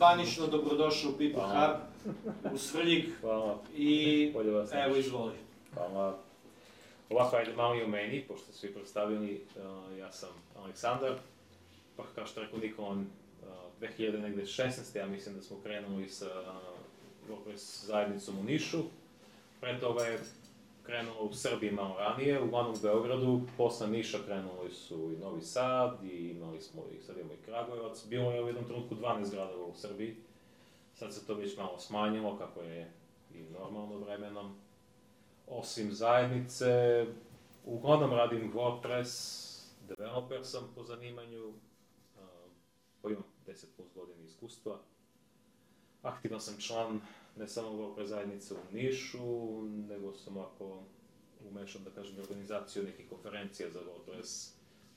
zvanično dobrodošao u People Hub, u Svrljig i evo izvoli. Hvala. Ovako, ajde malo i o meni, pošto su i predstavljeni, ja sam Aleksandar, pa kao što rekao Nikola, 2016. ja mislim da smo krenuli sa WordPress zajednicom u Nišu. Pre toga je krenulo u Srbiji malo ranije, uglavnom u Beogradu, posle Niša krenuli su i Novi Sad i sad imamo i Kragujevac. Bilo je u jednom trenutku 12 gradova u Srbiji, sad se to već malo smanjilo, kako je i normalno vremenom. Osim zajednice, uglavnom radim WordPress, developer sam po zanimanju, imam 10 plus godina iskustva. Aktivan sam član ne samo WordPress zajednice u Nišu, nego sam ovako umešan, da kažem, organizaciju nekih konferencija za WordPress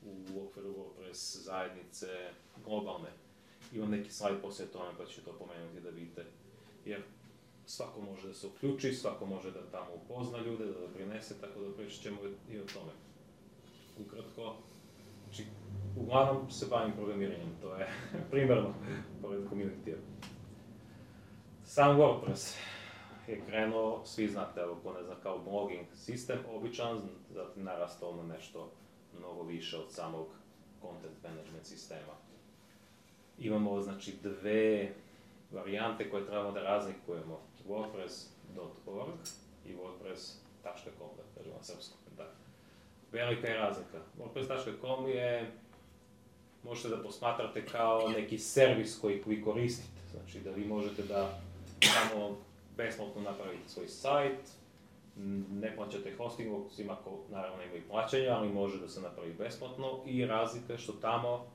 u okviru WordPress zajednice globalne. Imam neki slajd poslije tome, pa ću to pomenuti da vidite. Jer svako može da se uključi, svako može da tamo upozna ljude, da doprinese, tako da pričat ćemo i o tome. Ukratko, znači, uglavnom se bavim programiranjem, to je primarno pored community-a. Sam WordPress je krenuo, svi znate, evo ko ne zna, kao blogging sistem, običan, zatim narastao na nešto mnogo više od samog content management sistema. Imamo, znači, dve varijante koje trebamo da razlikujemo, WordPress.org i WordPress.com, da kažemo na srpskom. Velika je razlika. WordPress.com je, možete da posmatrate kao neki servis koji vi koristite. Znači da vi možete da samo besplatno napravite svoj sajt, ne plaćate hosting, osim ako naravno ima i plaćanja, ali može da se napravi besplatno i razlika je što tamo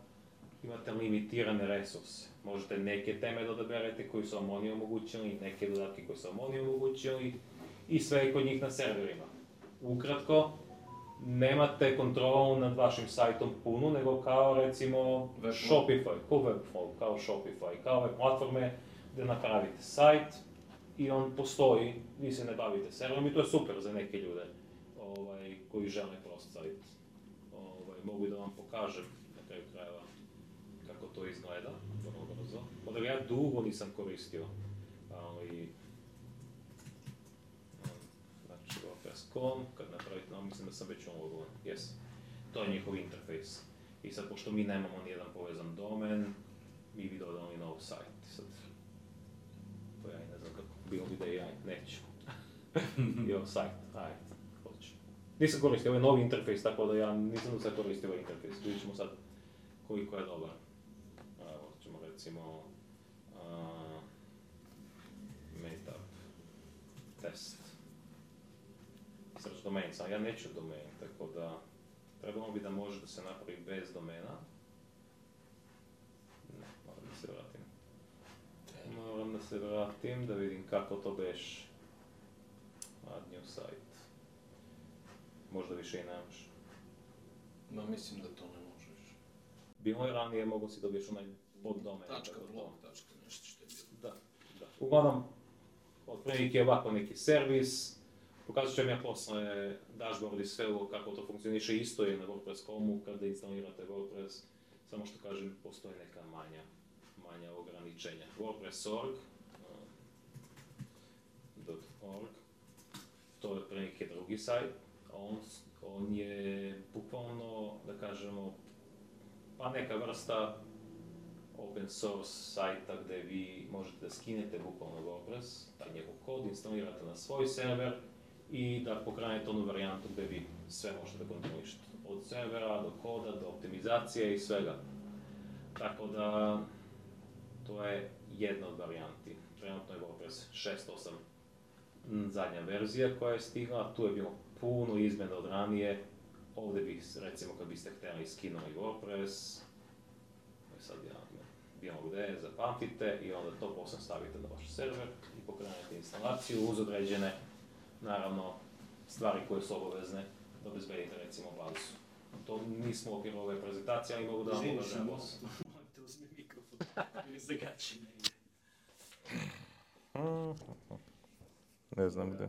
imate limitirane resurse. Možete neke teme da odaberete koji su vam oni omogućili, neke dodatke koji su vam oni omogućili i sve je kod njih na serverima. Ukratko, nemate kontrolu nad vašim sajtom punu, nego kao recimo Shopify, kao Shopify, kao ove platforme gde napravite sajt i on postoji, vi se ne bavite serverom i to je super za neke ljude koji žele prost sajt. Mogu da vam pokažem na kraju krajeva kako to izgleda, vrlo brzo. Onda ja dugo nisam koristio, ali znači WordPress.com, kad napravite, mislim da sam već ulogovan, jes, to je njihov interfejs. I sad, pošto mi nemamo nijedan povezan domen, mi bi dodali nov sajt. Sad, to ja i ne znam kako, bilo bi da i ja neću. I ovo sajt, ajde, hoću. Nisam koristio, ovo je novi interfejs, tako da ja nisam da sad koristio ovaj interfejs. Vidjet ćemo sad koliko je dobar. Evo ćemo recimo meetup test. Search domain, sam ja neću domain, tako da trebalo bi da može da se napravi bez domena. Ne, moram da se vratim. Moram da se vratim, da vidim kako to beš. Add new site. Možda više i nemaš. Ma mislim da to ne možeš. Bilo je ranije, mogu si dobiješ onaj poddomen. .blog, nešto što je bilo. Da. Uglavnom, otprilike je ovako neki servis. Pokazat ću vam ja posle dashboard i sve ovo kako to funkcioniše, isto je na WordPress.comu kada instalirate WordPress, samo što kažem, postoje neka manja ograničenja. WordPress.org, to je otprilike drugi sajt, on je bukvalno, da kažemo, pa neka vrsta open source sajta gde vi možete da skinete bukvalno WordPress, taj njegov kod, instalirate na svoj server i da pokrenete onu varijantu gde vi sve možete da kontrolišete. Od servera do koda, do optimizacije i svega. Tako da, to je jedna od varijanti. Trenutno je WordPress 6.8 zadnja verzija koja je stigla, tu je bilo puno izmjena od ranije. Ovdje bih, recimo, kad biste htjeli skinuli WordPress, sad bilo gde, zapamtite i onda to posle stavite na vaš server i pokrenete instalaciju uz određene, naravno, stvari koje su obavezne da obezbedite, recimo, bazu. To nismo u okviru ove prezentacije, ali mogu da vam pokažem posle. Morate uzmi mikrofon, ili zagači ne ide. Ne znam gde.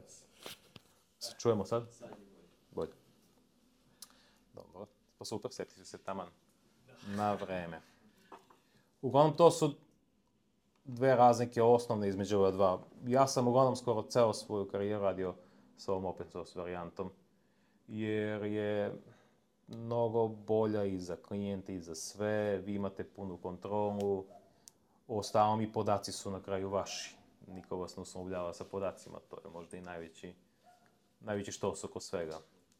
Se čujemo sad? Sad je bolje. Dobro, pa super, setite se taman na vreme. Uglavnom, to su dve razlike osnovne između ova dva. Ja sam uglavnom skoro ceo svoju karijeru radio sa ovom open source varijantom, jer je mnogo bolja i za klijente i za sve, vi imate punu kontrolu, ostalom i podaci su na kraju vaši. Niko vas ne uslovljava sa podacima, to je možda i najveći štos oko svega.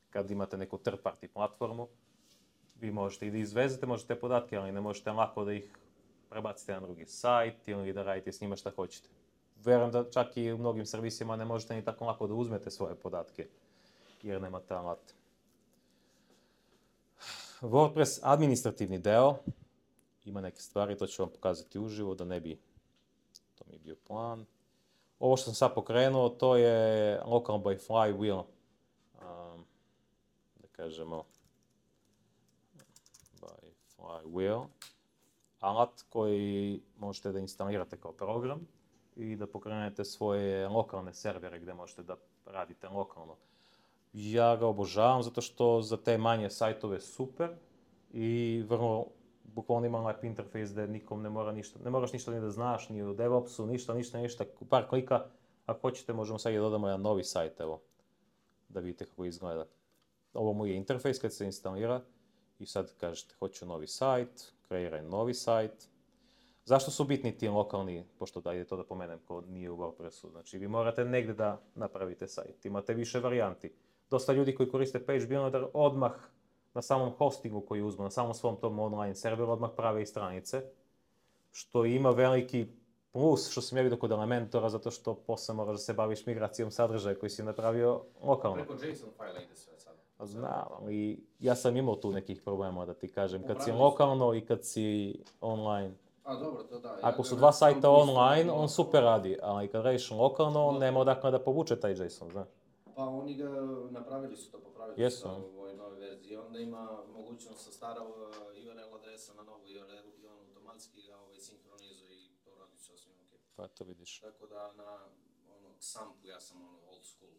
Kad imate neku third party platformu, vi možete i da izvezete, možete podatke, ali ne možete lako da ih prebacite na drugi sajt ili da radite s njima šta hoćete. Verujem da čak i u mnogim servisima ne možete ni tako lako da uzmete svoje podatke, jer nemate alate. WordPress administrativni deo, ima neke stvari, to ću vam pokazati uživo, da ne bi, to mi je bio plan. Ovo što sam sad pokrenuo, to je Local by Flywheel, da kažemo, by Flywheel, alat koji možete da instalirate kao program i da pokrenete svoje lokalne servere gde možete da radite lokalno. Ja ga obožavam zato što za te manje sajtove super i vrlo bukvalno ima lep interfejs gde nikom ne moraš ništa ni da znaš, ni o DevOpsu, ništa, par klika. Ako hoćete možemo sad i dodamo jedan novi sajt, evo, da vidite kako izgleda. Ovo mu je interfejs kad se instalira i sad kažete hoću novi sajt, kreiraj novi sajt. Zašto su bitni ti lokalni, pošto da ide to da pomenem ko nije u WordPressu, znači vi morate negde da napravite sajt, imate više varijanti. Dosta ljudi koji koriste PageBuilder odmah na samom hostingu koji uzmu, na samom svom tom online serveru odmah prave i stranice, što ima veliki plus, što sam ja vidio kod Elementora, zato što posle moraš da se baviš migracijom sadržaja koji si napravio lokalno. Preko JSON fajla ide sve sad. Znam, ali ja sam imao tu nekih problema, da ti kažem, kad si lokalno i kad si online. A dobro, to da. Ako su dva sajta online, on super radi, ali kad radiš lokalno, nema odakle da povuče taj JSON, znaš. Pa oni ga napravili su to, popravili su to u ovoj novoj verziji. Onda ima mogućnost sa stara URL adresa na novu URL i on automatski ga sinhronizuje i to radi sasvim ok. Pa to vidiš. Tako da na XAMPP-u ja sam old school.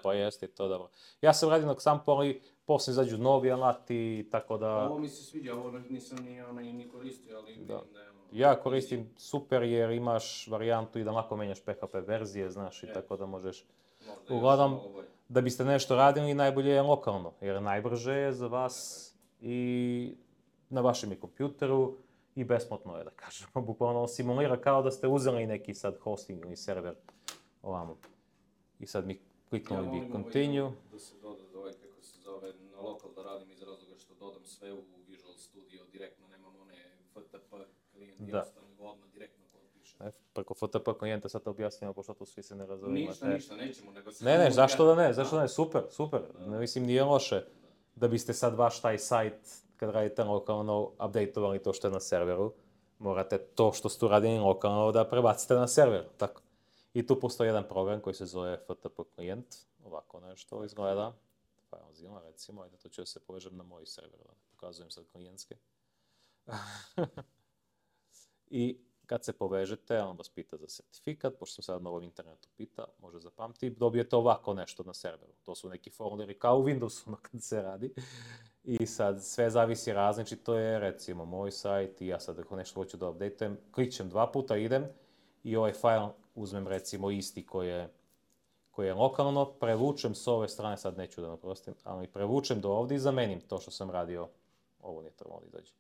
Pa jeste, to dobro. Ja sam radio na XAMPP-u, ali posle izađu novi alati, tako da... Ovo mi se sviđa, ovo nisam ni koristio, ali vidim da je ono... Ja koristim super jer imaš varijantu i da lako menjaš PHP verzije, znaš, i tako da možeš... Uglavnom, da biste nešto radili, najbolje je lokalno, jer najbrže je za vas i na vašem je kompjuteru i besplatno je, da kažemo. Bukvalno simulira kao da ste uzeli neki sad hosting ili server ovamo. I sad mi kliknuli bi continue. Da se doda ovaj, kako se zove, na lokal da radim iz razloga što dodam sve u Visual Studio direktno, nemam one FTP klijent, jednostavno odmah direktno kod piše. Preko FTP klijenta sad te objasnimo, pošto tu svi se ne razumiju. Ništa, nećemo, nego se... Ne, zašto da ne, super. Ne mislim, nije loše da biste sad vaš taj sajt, kad radite lokalno, updateovali to što je na serveru. Morate to što ste uradili lokalno da prebacite na server, tako. I tu postoji jedan program koji se zove FTP klijent, ovako nešto izgleda. FileZilla recimo, ajde to ću da se povežem na moj server, da pokazujem sad klijentske. I kad se povežete, on vas pita za sertifikat, pošto sam sad na ovom internetu pita, može zapamti, dobijete ovako nešto na serveru. To su neki folderi kao u Windowsu kad se radi. I sad sve zavisi različito je, recimo moj sajt i ja sad ako nešto hoću da updateujem, klikćem 2 puta, idem i ovaj file uzmem recimo isti koji je lokalno, prevučem s ove strane, sad neću da naprostim, ali prevučem do ovdje i zamenim to što sam radio, ovo nije trebalo da izađe.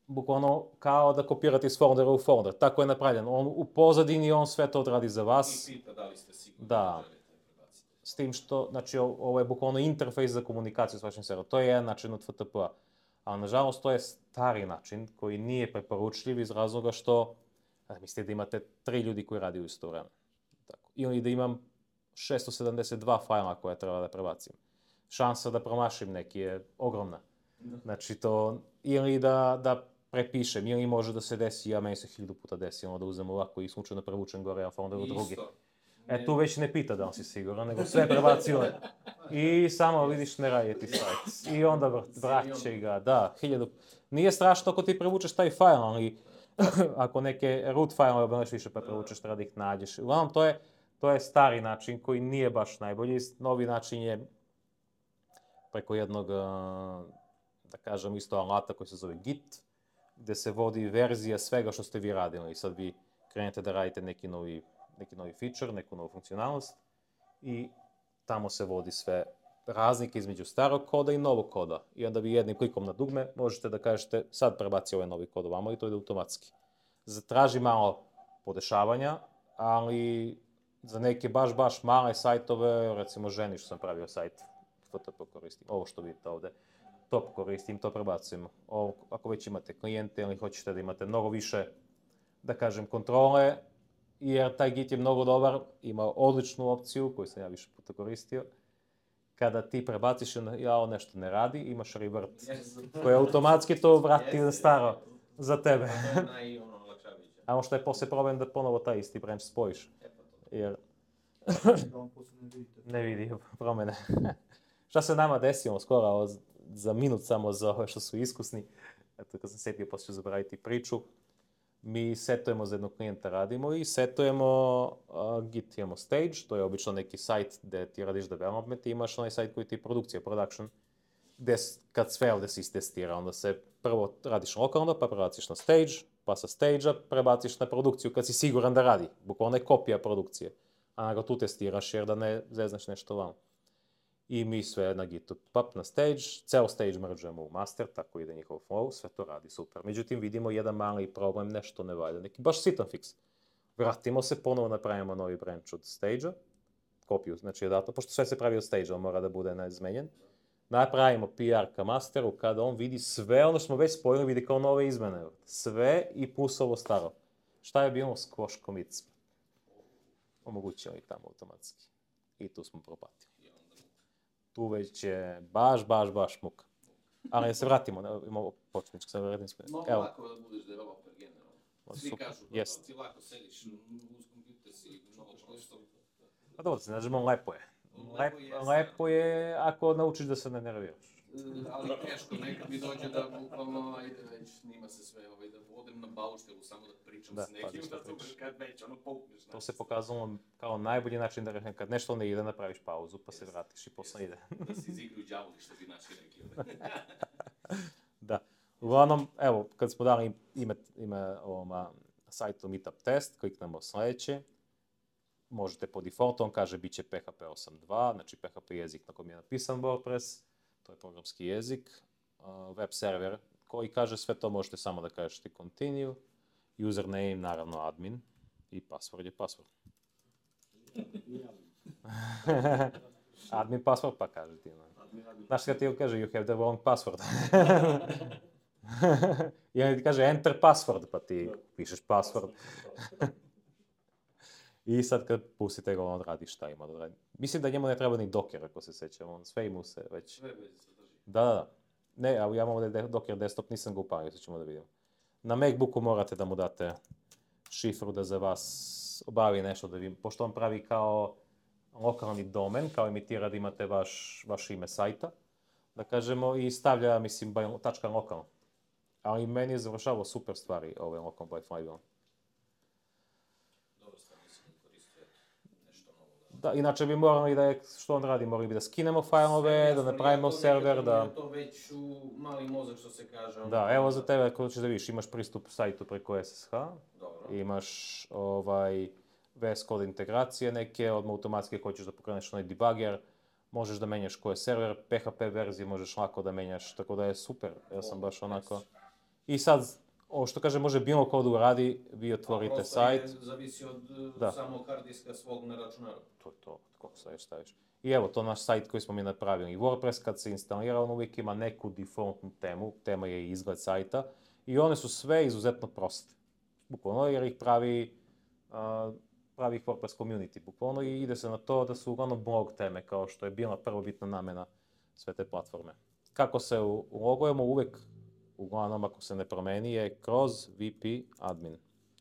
Bukvalno kao da kopirate iz foldera u folder, tako je napravljen. On u pozadini on sve to odradi za vas. I pita da li ste sigurni da želite prebaciti. S tim što, znači ovo je bukvalno interfejs za komunikaciju s vašim serverom. To je jedan način od FTP-a. Ali nažalost to je stari način koji nije preporučljiv iz razloga što mislite da imate 3 ljudi koji radi u isto vreme. Ili da imam 672 fajla koje treba da prebacim. Šansa da promašim neki je ogromna. Znači to, ili da prepišem, ili može da se desi, meni se 1000 puta desilo da uzem ovako i slučajno prevučem gore, a onda u drugi. Tu već ne pita da li si siguran, nego sve prebacio. I samo vidiš ne radi ti sajt. I onda vraće ga, da, 1000. Nije strašno ako ti prevučeš taj fajl, ali ako neke root fajlove obneš više pa prevučeš, treba da ih nađeš. Uglavnom, to je stari način koji nije baš najbolji. Novi način je preko jednog, da kažem, isto alata koji se zove Git. gde se vodi verzija svega što ste vi radili. I sad vi krenete da radite neki novi feature, neku novu funkcionalnost i tamo se vodi sve razlike između starog koda i novog koda. I onda vi jednim klikom na dugme možete da kažete sad prebaci ovaj novi kod ovamo i to ide automatski. Traži malo podešavanja, ali za neke baš male sajtove, recimo ženi što sam pravio sajt, FTP koristim, ovo što vidite ovde, to koristim, to prebacujem. Ako već imate klijente ili hoćete da imate mnogo više, da kažem, kontrole, jer taj Git je mnogo dobar, ima odličnu opciju koju sam ja više puta koristio. Kada ti prebaciš jao nešto ne radi, imaš revert koji automatski to vrati na staro za tebe. A što je posle problem da ponovo taj isti branch spojiš. Jer ne vidi promene. Šta se nama desilo skoro za minut samo za ove što su iskusni, eto kad sam setio posle ću zaboraviti priču, mi setujemo za jednog klijenta radimo i setujemo Git, imamo stage, to je obično neki sajt gde ti radiš development i imaš onaj sajt koji ti je produkcija, production, gde kad sve ovde se istestira, onda se prvo radiš lokalno, pa prebaciš na stage, pa sa stage-a prebaciš na produkciju kad si siguran da radi, bukvalno je kopija produkcije, a ga tu testiraš jer da ne zeznaš nešto vamo. I mi sve na Gitu pap na stage, ceo stage mergeujemo u master, tako ide njihov flow, sve to radi super. Međutim, vidimo jedan mali problem, nešto ne valja, neki baš sitan fix. Vratimo se, ponovo napravimo novi branch od stage-a, kopiju, znači pošto sve se pravi od stage-a, on mora da bude neizmenjen. Napravimo PR ka masteru, kada on vidi sve ono što smo već spojili, vidi kao nove izmene. Sve i plus ovo staro. Šta je bilo squash commits? Omogućili tamo automatski. I tu smo propatili. Tu već je baš muka. Ali da se vratimo, imamo početničko, sad vratim sve. Mnogo lako da budeš developer generalno. Svi kažu da ti lako sediš uz kompjuter si mnogo što. Pa dobro, se nađemo, lepo je. Lepo je ako naučiš da se ne nerviraš. Ali teško, nekad mi dođe da bukvalno, ajde već, snima se sve, da odem na bauštelu samo da pričam s nekim, da to kad već, poukneš. To se pokazalo kao najbolji način da rešim, kad nešto ne ide, napraviš pauzu, pa se vratiš i posle ide. Da si izigraju đavoli, što bi naši rekli. Da. Uglavnom, evo, kad smo dali ime ovom sajtu Meetup test, kliknemo sledeće. Možete po defaultu, on kaže bit će PHP 8.2, znači PHP jezik na kojem je napisan WordPress, to je programski jezik, web server koji kaže sve to možete samo da kažete continue, username naravno admin i password je password. Admin password pa kaže ti. Znaš kada ti kaže you have the wrong password. I on ti kaže enter password pa ti pišeš password. I sad kad pustite ga, on radi šta ima da radi. Mislim da njemu ne treba ni Docker, ako se sećam, on sve ima se već. Sve već se drži. Da. Ne, ali ja imam ovdje Docker desktop, nisam ga upalio, sad ćemo da vidimo. Na Macbooku morate da mu date šifru da za vas obavi nešto da vi, pošto on pravi kao lokalni domen, kao imitira da imate vaš ime sajta, da kažemo, i stavlja, mislim, tačka lokalno. Ali meni je završavao super stvari ove lokalno by Flywheel. Da, inače bi morali da što on radi, morali bi da skinemo fajlove, da napravimo server, da... To već u mali mozak, što se kaže. Da, evo za tebe, ako ćeš da vidiš, imaš pristup sajtu preko SSH, imaš VS Code integracije neke, odmah automatski hoćeš da pokreneš onaj debugger, možeš da menjaš koje je server, PHP verzije možeš lako da menjaš, tako da je super, ja sam baš onako... I sad, ovo što kaže, može bilo ko da uradi, vi otvorite sajt. Prosto zavisi od samog hard diska svog na računaru. To je to, kako staviš. I evo, to naš sajt koji smo mi napravili. I WordPress kad se instalira, on uvijek ima neku defaultnu temu, tema je izgled sajta, i one su sve izuzetno proste. Bukvalno, jer ih pravi ih WordPress community, bukvalno, i ide se na to da su uglavnom blog teme, kao što je bila prvobitna namena sve te platforme. Kako se ulogujemo uvijek, uglavnom, ako se ne promeni, je kroz VP admin.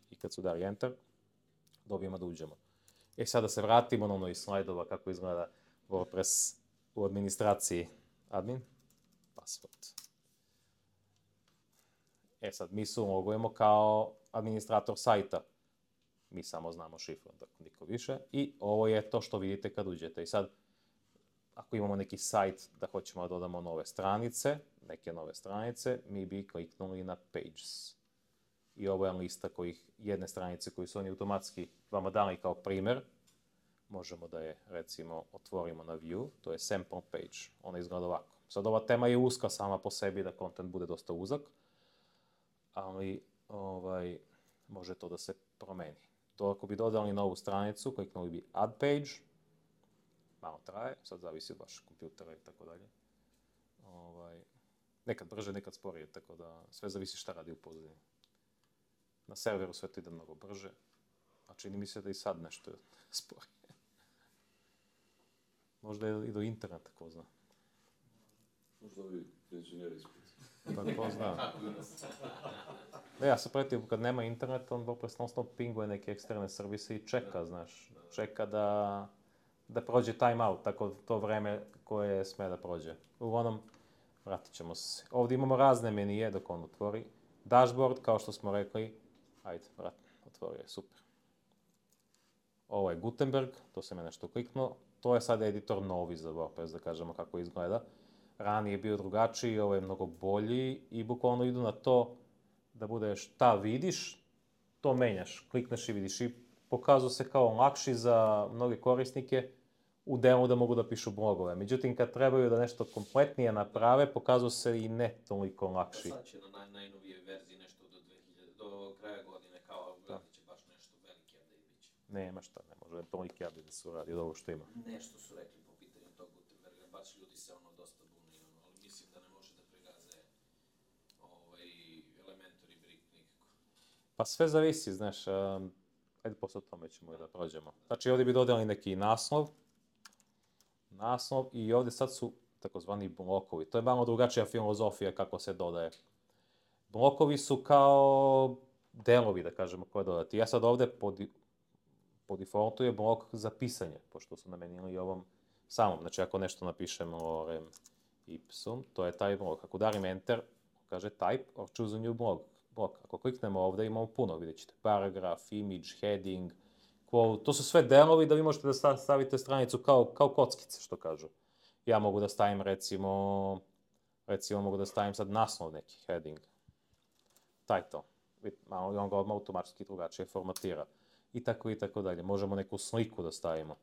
I kad se udari enter, dobijemo da uđemo. Sada se vratimo na ono iz slajdova kako izgleda WordPress u administraciji admin. Password. Sad mi se ulogujemo kao administrator sajta. Mi samo znamo šifru, dakle niko više. I ovo je to što vidite kad uđete. I sad, ako imamo neki sajt da hoćemo da dodamo nove stranice, neke nove stranice, mi bi kliknuli na Pages. I ovo je lista jedne stranice koju su oni automatski vama dali kao primjer. Možemo da je, recimo, otvorimo na View, to je Sample Page. Ona izgleda ovako. Sad ova tema je uska sama po sebi, da kontent bude dosta uzak, ali može to da se promeni. To ako bi dodali novu stranicu, kliknuli bi Add Page, malo traje, sad zavisi od vašeg kompjutera i tako dalje. Nekad brže, nekad sporije, tako da sve zavisi šta radi u pozadini. Na serveru sve to ide mnogo brže, a čini mi se da i sad nešto je sporije. Možda i do interneta, ko zna. Možda ovi inženjeri ispred. Pa ko zna. Ja se pretio, kad nema interneta, on WordPress non-stop pinguje neke eksterne servise i čeka, znaš. Čeka da prođe timeout, tako to vreme koje sme da prođe. Uglavnom, vratit ćemo se. Ovdje imamo razne menije dok on otvori. Dashboard, kao što smo rekli, ajde, otvorio je, super. Ovo je Gutenberg, to sam ja nešto kliknuo. To je sad editor novi za WordPress, da kažemo kako izgleda. Ranije je bio drugačiji, ovo je mnogo bolji i bukvalno idu na to da bude šta vidiš, to menjaš. Klikneš i vidiš i pokazuje se kao lakši za mnoge korisnike u delu da mogu da pišu blogove. Međutim, kad trebaju da nešto kompletnije naprave, pokazuje se i ne toliko lakši. Sad će na najnovijoj verziji nešto do kraja godine, kao gledat će baš nešto veliki update biće. Nema šta, ne može toliki update da se uradi od ovo što ima. Nešto su rekli po pitanju tog Gutenberga, baš ljudi se dosta bune, ali mislim da ne može da pregaze Elementor i Brick nikako. Pa sve zavisi, znaš, ajde posle o tome ćemo da prođemo. Znači ovdje bi dodali neki naslov i ovdje sad su takozvani blokovi. To je malo drugačija filozofija kako se dodaje. Blokovi su kao delovi, da kažemo, koje dodati. Ja sad ovdje po defaultu je blok za pisanje, pošto su namenili ovom samom. Znači ako nešto napišemo lorem ipsum, to je taj blok. Ako udarim enter, kaže type or choose a new blok. Ako kliknemo ovdje imamo puno, vidjet ćete paragraf, image, heading, quote. To su sve delovi da vi možete da stavite stranicu kao kockice, što kažu. Ja mogu da stavim recimo mogu da stavim sad naslov neki, heading, title. Malo i on ga odmah automatski drugačije formatira. I tako dalje. Možemo neku sliku da stavimo.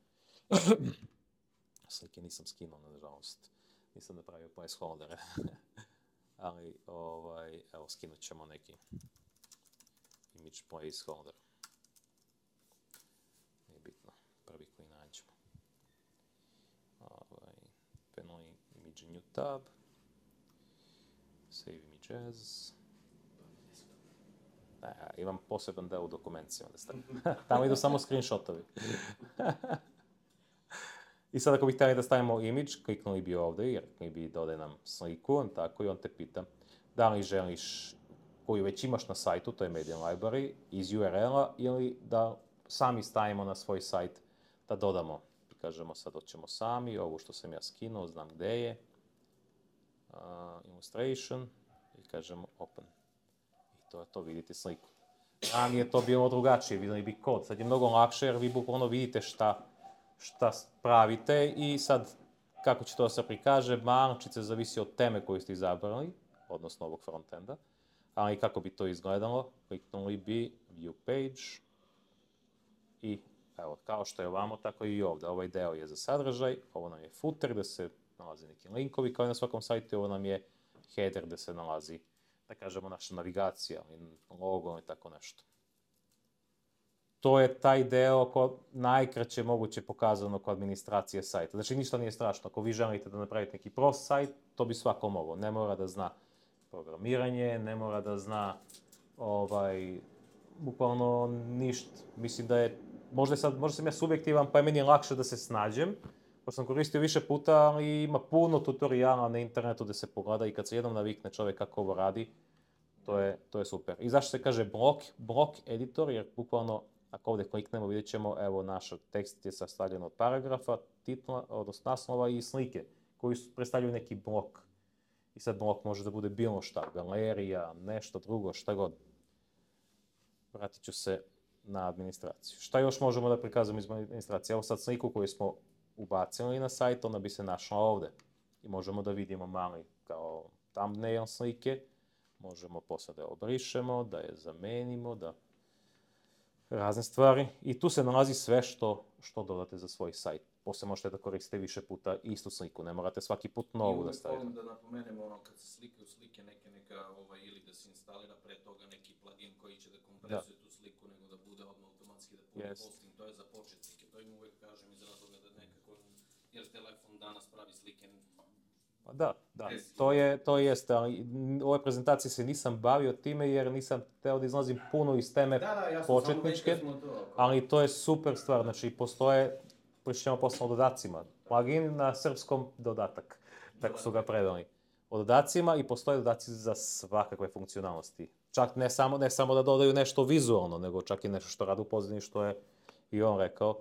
Slike nisam skinuo, nažalost. Nisam napravio placeholdere. Ali, evo, skinut ćemo neki image placeholder. Nije bitno. Prvi koji nađemo. Panel image new tab. Save image as. Imam poseban deo u dokumencijama da stavim. Tamo idu samo screenshotovi. I sad ako bih htjeli da stavimo image, kliknuli bi ovdje, jer mi bi dodaj nam sliku, tako, i on te pita da li želiš, koju već imaš na sajtu, to je Media Library, iz URL-a, ili da sami stavimo na svoj sajt da dodamo. I kažemo sad hoćemo sami, ovo što sam ja skinuo, znam gde je, illustration, i kažemo open. To vidite sliku. Ranije je to bilo drugačije, vidjeli bi kod. Sad je mnogo lakše jer vi bukvalno vidite šta pravite i sad kako će to se prikaže, malčice zavisi od teme koju ste izabrali, odnosno ovog frontenda, ali kako bi to izgledalo, kliknuli bi View Page i evo, kao što je ovamo, tako i ovdje. Ovaj deo je za sadržaj, ovo nam je footer gdje se nalaze neki linkovi kao i na svakom sajtu, ovo nam je header gdje se nalazi, da kažemo, naša navigacija, logo i tako nešto. To je taj deo najkraće moguće pokazano kod administracije sajta. Znači ništa nije strašno. Ako vi želite da napravite neki prost sajt, to bi svako moglo. Ne mora da zna programiranje, ne mora da zna bukvalno ništa. Mislim da je, možda sam ja subjektivan, pa je meni lakše da se snađem. Ko sam koristio više puta, ali ima puno tutoriala na internetu da se pogleda i kad se jednom navikne čovjek kako ovo radi, to je super. I zašto se kaže blok editor, jer bukvalno ako ovdje kliknemo vidjet ćemo, evo naš tekst je sastavljen od paragrafa, titla, odnosno naslova i slike, koji predstavljaju neki blok. I sad blok može da bude bilo šta, galerija, nešto drugo, šta god. Vratit ću se na administraciju. Šta još možemo da prikazamo iz administracije? Evo sad sliku koju smo ubacili na sajt, ona bi se našla ovdje. I možemo da vidimo mali kao thumbnail slike, možemo posle da je obrišemo, da je zamenimo, da razne stvari. I tu se nalazi sve što dodate za svoj sajt. Posle možete da koristite više puta istu sliku, ne morate svaki put novu da stavite. I uvek volim da napomenemo kad se slikaju slike neka ili da se instalira pre toga neki plugin koji će da kompresuje tu sliku, nego da bude odmah automatski da puni posting, to je za početnike. To im uvek kažem iz razloga da nekako, jer telefon danas pravi slike. Pa da, to jeste, ali u ovoj prezentaciji se nisam bavio time jer nisam hteo da izlazim puno iz teme početničke, ali to je super stvar, znači postoje, pričamo posle o dodacima, plugin na srpskom dodatak, tako su ga predali. O dodacima i postoje dodaci za svakakve funkcionalnosti. Čak ne samo da dodaju nešto vizualno, nego čak i nešto što rade u pozadini, što je i on rekao.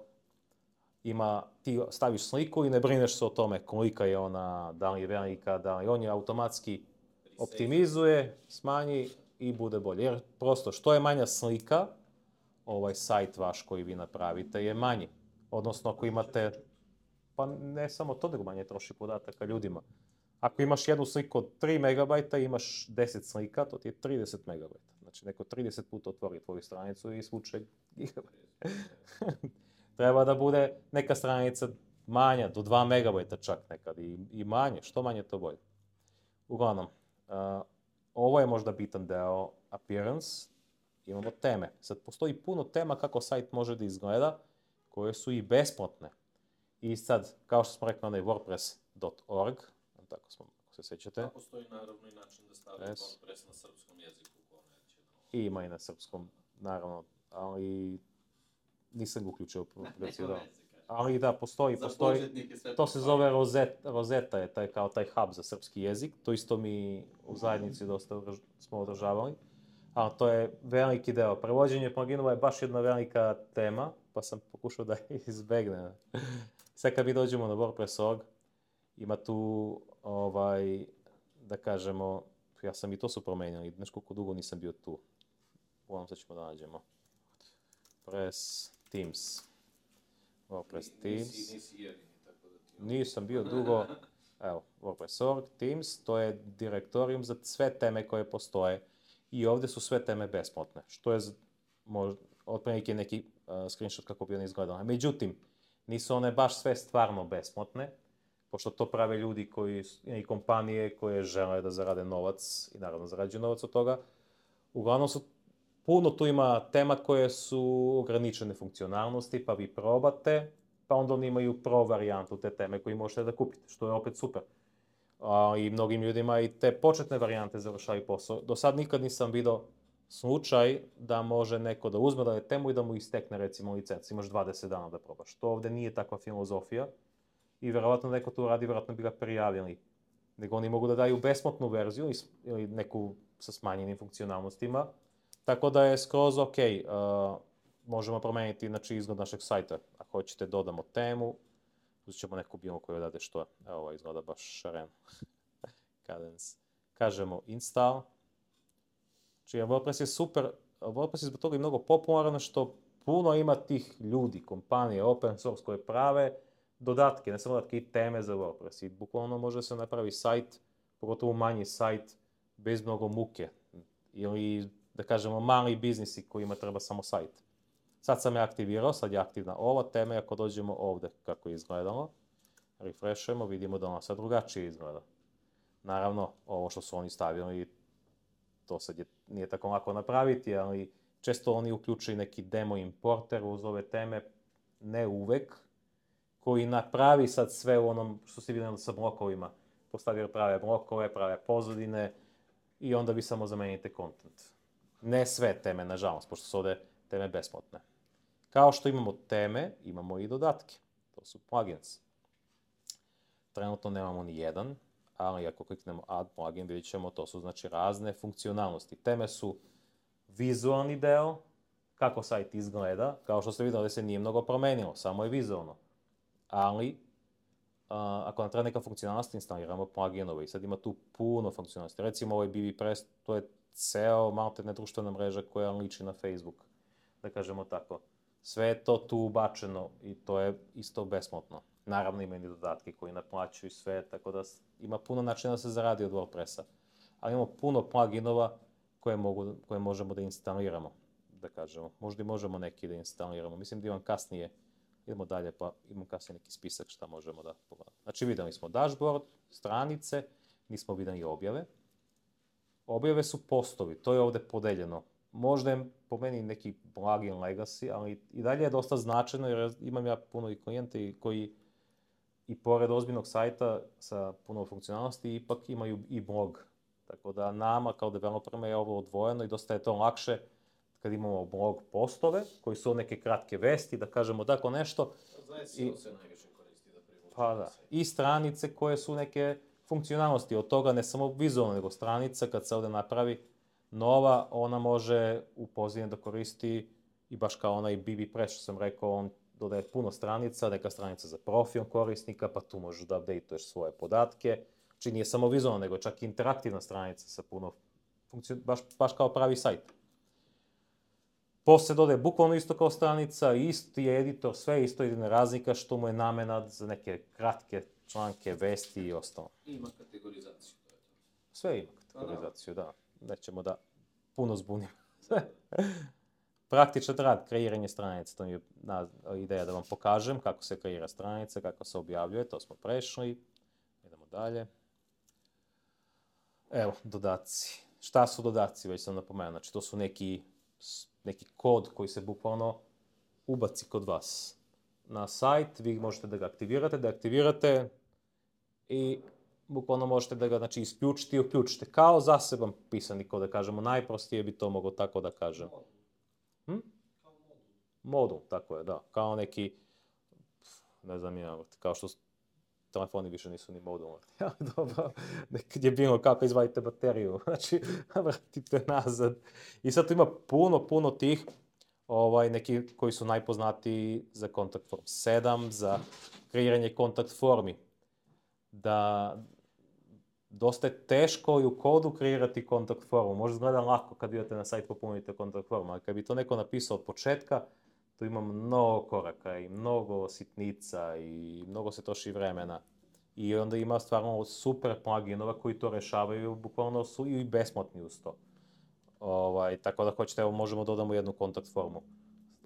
Ti staviš sliku i ne brineš se o tome kolika je ona, da li je velika, da li on je automatski optimizuje, smanji i bude bolje. Jer prosto, što je manja slika, ovaj sajt vaš koji vi napravite je manji. Odnosno, ako imate, pa ne samo to, nego manje troši podataka ljudima. Ako imaš jednu sliku od 3 megabajta i imaš 10 slika, to ti je 30 megabajta. Znači, neko 30 puta otvori tvoju stranicu i svuče gigabajt. Treba da bude neka stranica manja, do 2 megabajta čak nekad i manje, što manje to bolje. Uglavnom, ovo je možda bitan deo appearance, imamo teme. Sad postoji puno tema kako sajt može da izgleda, koje su i besplatne. I sad, kao što smo rekli, onaj wordpress.org, tako smo, ako se sećate. A postoji naravno i način da stavi WordPress na srpskom jeziku. I ima i na srpskom, naravno, ali nisam ga uključio u aplikaciju. Ali da, postoji, to se zove Rosetta, je taj hub za srpski jezik, to isto mi u zajednici dosta smo održavali, ali to je veliki deo. Prevođenje pluginova je baš jedna velika tema, pa sam pokušao da izbegnem. Sve kad mi dođemo na WordPress.org, ima tu, da kažemo, ja sam i to su promenili, znaš koliko dugo nisam bio tu. Uglavnom sad ćemo da nađemo. WordPress Teams. WordPress Teams. Nisi jedini, tako da ti... Nisam bio dugo. Evo, WordPress.org Teams, to je direktorijum za sve teme koje postoje. I ovde su sve teme besplatne, što je otprilike neki screenshot kako bi one izgledale. Međutim, nisu one baš sve stvarno besplatne, pošto to prave ljudi i kompanije koje žele da zarade novac i naravno zarađuju novac od toga. Uglavnom puno tu ima tema koje su ograničene funkcionalnosti, pa vi probate, pa onda oni imaju pro varijantu te teme koju možete da kupite, što je opet super. I mnogim ljudima i te početne varijante završaju posao. Do sad nikad nisam vidio slučaj da može neko da uzme da je temu i da mu istekne recimo licenca. Imaš 20 dana da probaš. To ovde nije takva filozofija i verovatno neko tu radi, verovatno bi ga prijavili. Nego oni mogu da daju besplatnu verziju ili neku sa smanjenim funkcionalnostima. Tako da je skroz ok. Možemo promeniti izgled našeg sajta. Ako hoćete dodamo temu, uzet ćemo neku bilo koju odade što je. Evo ovo izgleda baš šareno. Cadence. Kažemo install. Znači, WordPress je super. WordPress je zbog toga i mnogo popularan što puno ima tih ljudi, kompanije, open source koje prave dodatke, ne samo dodatke i teme za WordPress. I bukvalno može se napravi sajt, pogotovo manji sajt, bez mnogo muke. Ili, da kažemo, mali biznisi kojima treba samo sajt. Sad sam je aktivirao, sad je aktivna ova tema i ako dođemo ovde kako je izgledalo, refreshujemo, vidimo da ona sad drugačije izgleda. Naravno, ovo što su oni stavili, to sad nije tako lako napraviti, ali često oni uključuju neki demo importer uz ove teme, ne uvek, koji napravi sad sve u onom što se vidjeli sa blokovima. Postavio prave blokove, prave pozadine i onda vi samo zamenite content. Ne sve teme, nažalost, pošto su ovde teme besplatne. Kao što imamo teme, imamo i dodatke. To su plugins. Trenutno nemamo ni jedan, ali ako kliknemo add plugin, vidjet ćemo, to su znači razne funkcionalnosti. Teme su vizualni deo, kako sajt izgleda, kao što ste vidjeli da se nije mnogo promenilo, samo je vizualno. Ali, ako nam treba neka funkcionalnost, instaliramo pluginove i sad ima tu puno funkcionalnosti. Recimo ovaj BBPress, to je ceo maltene društvena mreža koja liči na Facebook, da kažemo tako. Sve je to tu ubačeno i to je isto besplatno. Naravno ima i dodatke koji naplaćuju sve, tako da ima puno načina da se zaradi od WordPressa. ali imamo puno pluginova koje možemo da instaliramo, da kažemo. Možda i možemo neki da instaliramo. Mislim da imam kasnije, idemo dalje, pa imam kasnije neki spisak šta možemo da pogledamo. Znači vidjeli smo dashboard, stranice, nismo vidjeli objave. Objave su postovi, to je ovdje podeljeno. Možda je po meni neki plugin legacy, ali i dalje je dosta značajno jer imam ja puno i klijente koji i pored ozbiljnog sajta sa puno funkcionalnosti ipak imaju i blog. Tako da nama kao developerima je ovo odvojeno i dosta je to lakše kad imamo blog postove koji su neke kratke vesti, da kažemo tako nešto. Za SEO se najviše koristi da privuče. Pa da. I stranice koje su neke funkcionalnosti od toga, ne samo vizualno, nego stranica kad se ovdje napravi nova, ona može u pozadini da koristi i baš kao onaj BBPress što sam rekao, on dodaje puno stranica, neka stranica za profil korisnika, pa tu možeš da updateuješ svoje podatke. Znači nije samo vizualno, nego čak i interaktivna stranica sa puno baš kao pravi sajt. Poslije dodaje bukvalno isto kao stranica, isti je editor, sve isto, jedina razlika što mu je namena za neke kratke članke, vesti i ostalo. I ima kategorizaciju. Sve ima kategorizaciju, da. Nećemo da puno zbunimo. Praktičan rad, kreiranje stranice, to mi je ideja da vam pokažem kako se kreira stranica, kako se objavljuje, to smo prešli. Idemo dalje. Evo, dodaci. Šta su dodaci, već sam napomenuo. Znači, to su neki kod koji se bukvalno ubaci kod vas na sajt, vi možete da ga aktivirate i bukvalno možete da ga znači, isključite i uključite. Kao zaseban pisani kod, da kažemo, najprostije bi to moglo tako da kažem. Modul, tako je, da. Kao neki, ne znam ja, kao što telefoni više nisu ni modulni. Ja, dobro, nekad je bilo kako izvadite bateriju, znači vratite nazad. I sad tu ima puno tih, neki koji su najpoznatiji za Contact Form 7, za kreiranje kontakt formi. Da dosta je teško i u kodu kreirati kontakt formu. Možda izgleda lako kad idete na sajt popunite kontakt formu, ali kad bi to neko napisao od početka, tu ima mnogo koraka i mnogo sitnica i mnogo se troši vremena. I onda ima stvarno super pluginova koji to rešavaju, bukvalno su i besplatni uz to. Tako da hoćete, evo možemo dodamo jednu kontakt formu.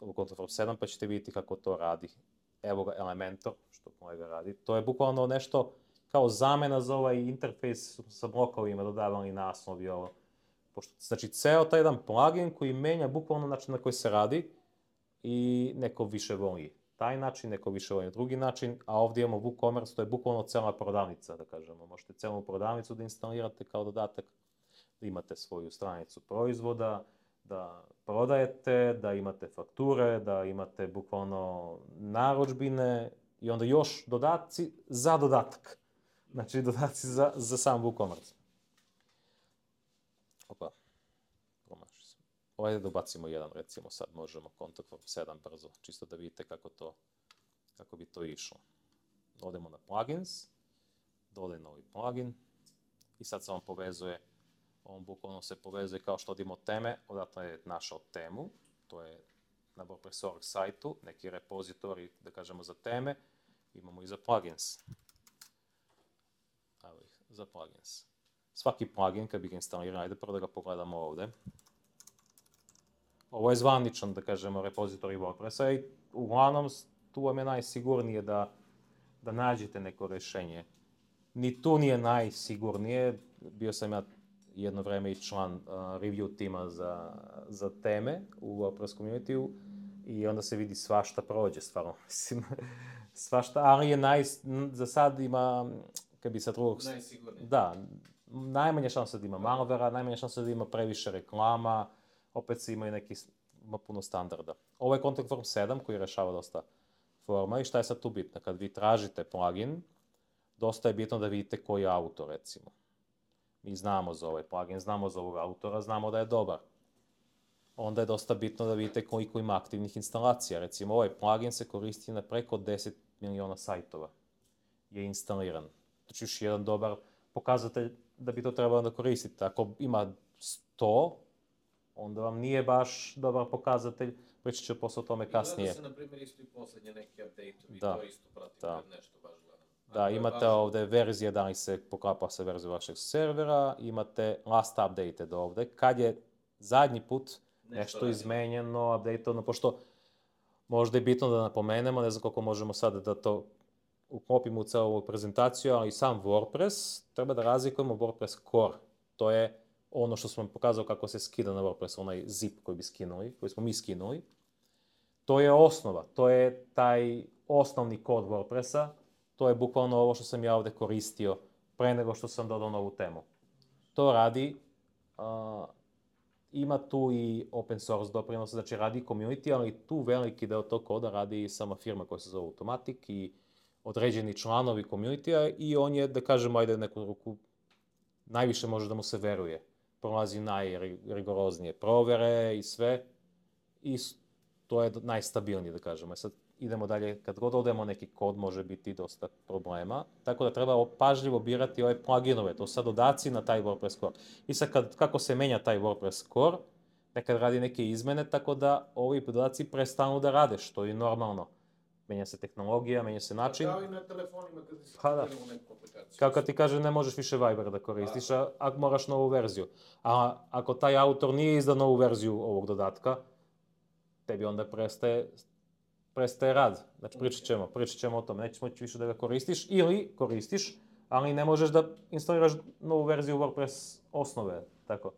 U Contact Form 7 pa ćete vidjeti kako to radi. Evo ga Elementor, što kolega radi. To je bukvalno nešto kao zamena za ovaj interfejs sa blokovima, dodavali naslov i ovo. Znači, ceo taj jedan plugin koji menja bukvalno način na koji se radi i neko više voli taj način, neko više voli drugi način, a ovdje imamo WooCommerce, to je bukvalno cela prodavnica, da kažemo. Možete celu prodavnicu da instalirate kao dodatak, da imate svoju stranicu proizvoda, da prodajete, da imate fakture, da imate bukvalno narudžbine i onda još dodaci za dodatak. Znači, dodaci za sam WooCommerce. Opa, promaši se. Ovdje da ubacimo jedan, recimo sad možemo Contact Form 7 brzo, čisto da vidite kako bi to išlo. Odemo na plugins, dodaj novi plugin i sad se on povezuje, on bukvalno se povezuje kao što odimo teme, odatle je našao temu, to je na WordPress.org sajtu, neki repozitorij, da kažemo, za teme, imamo i za plugins. Evo ih, za plugins. Svaki plugin, kad bi ga instalirali, ajde prvo da ga pogledamo ovdje. Ovo je zvaničan, da kažemo, repozitorij WordPressa i uglavnom tu vam je najsigurnije da nađete neko rješenje. Ni tu nije najsigurnije, bio sam ja jedno vreme i član review tima za teme u WordPress community-u i onda se vidi svašta prođe, stvarno, mislim, svašta, ali je za sad ima, kad bi sa drugog... Najsigurnije. Da, najmanje šanse da ima malvera, najmanje šanse da ima previše reklama, opet se ima puno standarda. Ovo je Contact Form 7 koji rešava dosta forma i šta je sad tu bitno? Kad vi tražite plugin, dosta je bitno da vidite koji je autor, recimo. Mi znamo za ovaj plugin, znamo za ovog autora, znamo da je dobar. Onda je dosta bitno da vidite koliko ima aktivnih instalacija. Recimo, ovaj plugin se koristi na preko 10 miliona sajtova. Je instaliran. Znači, još jedan dobar pokazatelj da bi to trebalo da koristite. Ako ima 100, onda vam nije baš dobar pokazatelj, pričat ću posle o tome kasnije. I gleda se, na primjer, isto i poslednje neke update-ovi, to isto pratim kad nešto baš gledam. Da, imate ovdje verzije da li se poklapa sa verzijom vašeg servera, imate last updated ovdje. Kad je zadnji put nešto izmenjeno, updateono, pošto možda je bitno da napomenemo, ne znam koliko možemo sada da to uklopimo u celu ovu prezentaciju, ali sam WordPress, treba da razlikujemo WordPress core. To je ono što sam vam pokazao kako se skida na WordPress, onaj zip koji smo mi skinuli. To je osnova, to je taj osnovni kod WordPressa, to je bukvalno ovo što sam ja ovdje koristio pre nego što sam dodao novu temu. To radi, ima tu i open source doprinos, znači radi community, ali tu veliki deo tog koda radi sama firma koja se zove Automatic i određeni članovi community-a i on je, da kažemo, ajde neku ruku, najviše može da mu se veruje. Prolazi najrigoroznije provere i sve i to je najstabilnije, da kažemo. Sad idemo dalje, kad god odemo neki kod može biti dosta problema, tako da treba pažljivo birati ove pluginove, to sad dodaci na taj WordPress core. I sad kako se menja taj WordPress core, nekad radi neke izmene, tako da ovi dodaci prestanu da rade, što je normalno. Menja se tehnologija, menja se način. Kao i na telefonima kad instaliramo neku aplikaciju. Kao kad ti kaže ne možeš više Viber da koristiš, a moraš novu verziju. A ako taj autor nije izdao novu verziju ovog dodatka, tebi onda prestaje rad. Znači pričat ćemo o tome, nećeš moći više da ga koristiš ili koristiš, ali ne možeš da instaliraš novu verziju WordPress osnove, tako.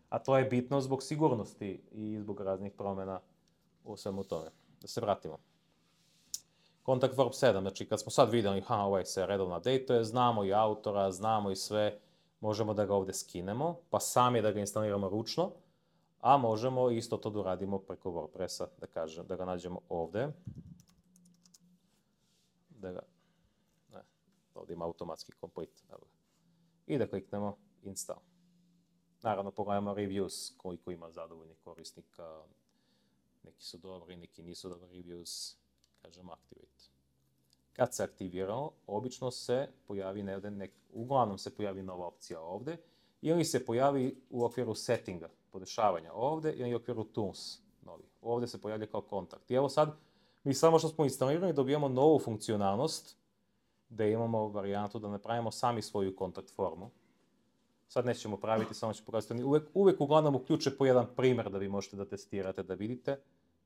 A to je bitno zbog sigurnosti i zbog raznih promjena u svemu tome. Da se vratimo. Contact Form 7, znači kad smo sad vidjeli, ovaj se redovno update-uje, znamo i autora, znamo i sve, možemo da ga ovdje skinemo, pa sami da ga instaliramo ručno, a možemo isto to da uradimo preko WordPressa, da ga nađemo ovdje. Ovdje ima automatski complete. I da kliknemo install. Naravno, pogledamo reviews, koliko ima zadovoljnih korisnika. Neki su dobri, neki nisu dobri reviews. Kažemo activate. Kad se aktiviramo, obično se pojavi, uglavnom se pojavi nova opcija ovdje, ili se pojavi u okviru settinga, podešavanja ovdje, ili u okviru tools novi. Ovdje se pojavlja kao kontakt. I evo sad, mi samo što smo instalirali dobijamo novu funkcionalnost, da imamo varijantu da napravimo sami svoju kontakt formu. Sad nećemo praviti, samo ću pokazati. Uvijek uglavnom uključe po jedan primjer da vi možete da testirate, da vidite.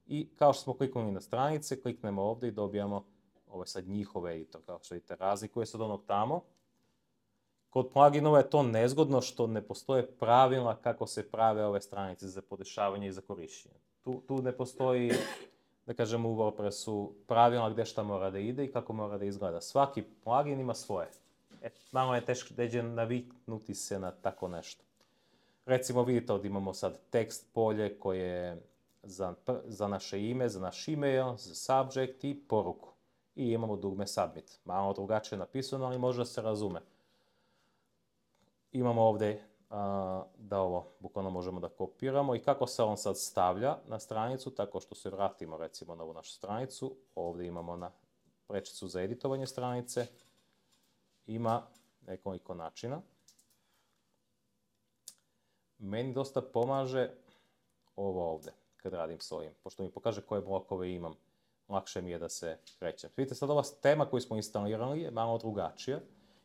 I kao što smo kliknuli na stranice, kliknemo ovdje i dobijamo ovo je sad njihov editor, kao što vidite, razlikuje se od onog tamo. Kod pluginova je to nezgodno što ne postoje pravila kako se prave ove stranice za podešavanje i za korištenje. Tu ne postoji, da kažemo u WordPressu, pravila gdje šta mora da ide i kako mora da izgleda. Svaki plugin ima svoje. Malo je teško da naviknuti se na tako nešto. Recimo vidite ovdje imamo sad tekst polje koje je za naše ime, za naš email, za subject i poruku. I imamo dugme submit. Malo drugačije napisano, ali može da se razume. Imamo ovdje da ovo bukvalno možemo da kopiramo i kako se on sad stavlja na stranicu, tako što se vratimo recimo na ovu našu stranicu. Ovdje imamo na prečicu za editovanje stranice. Ima nekoliko načina. Meni dosta pomaže ovo ovdje, kad radim s ovim. Pošto mi pokaže koje blokove imam, lakše mi je da se krećem. Vidite, sad ova tema koju smo instalirali je malo drugačija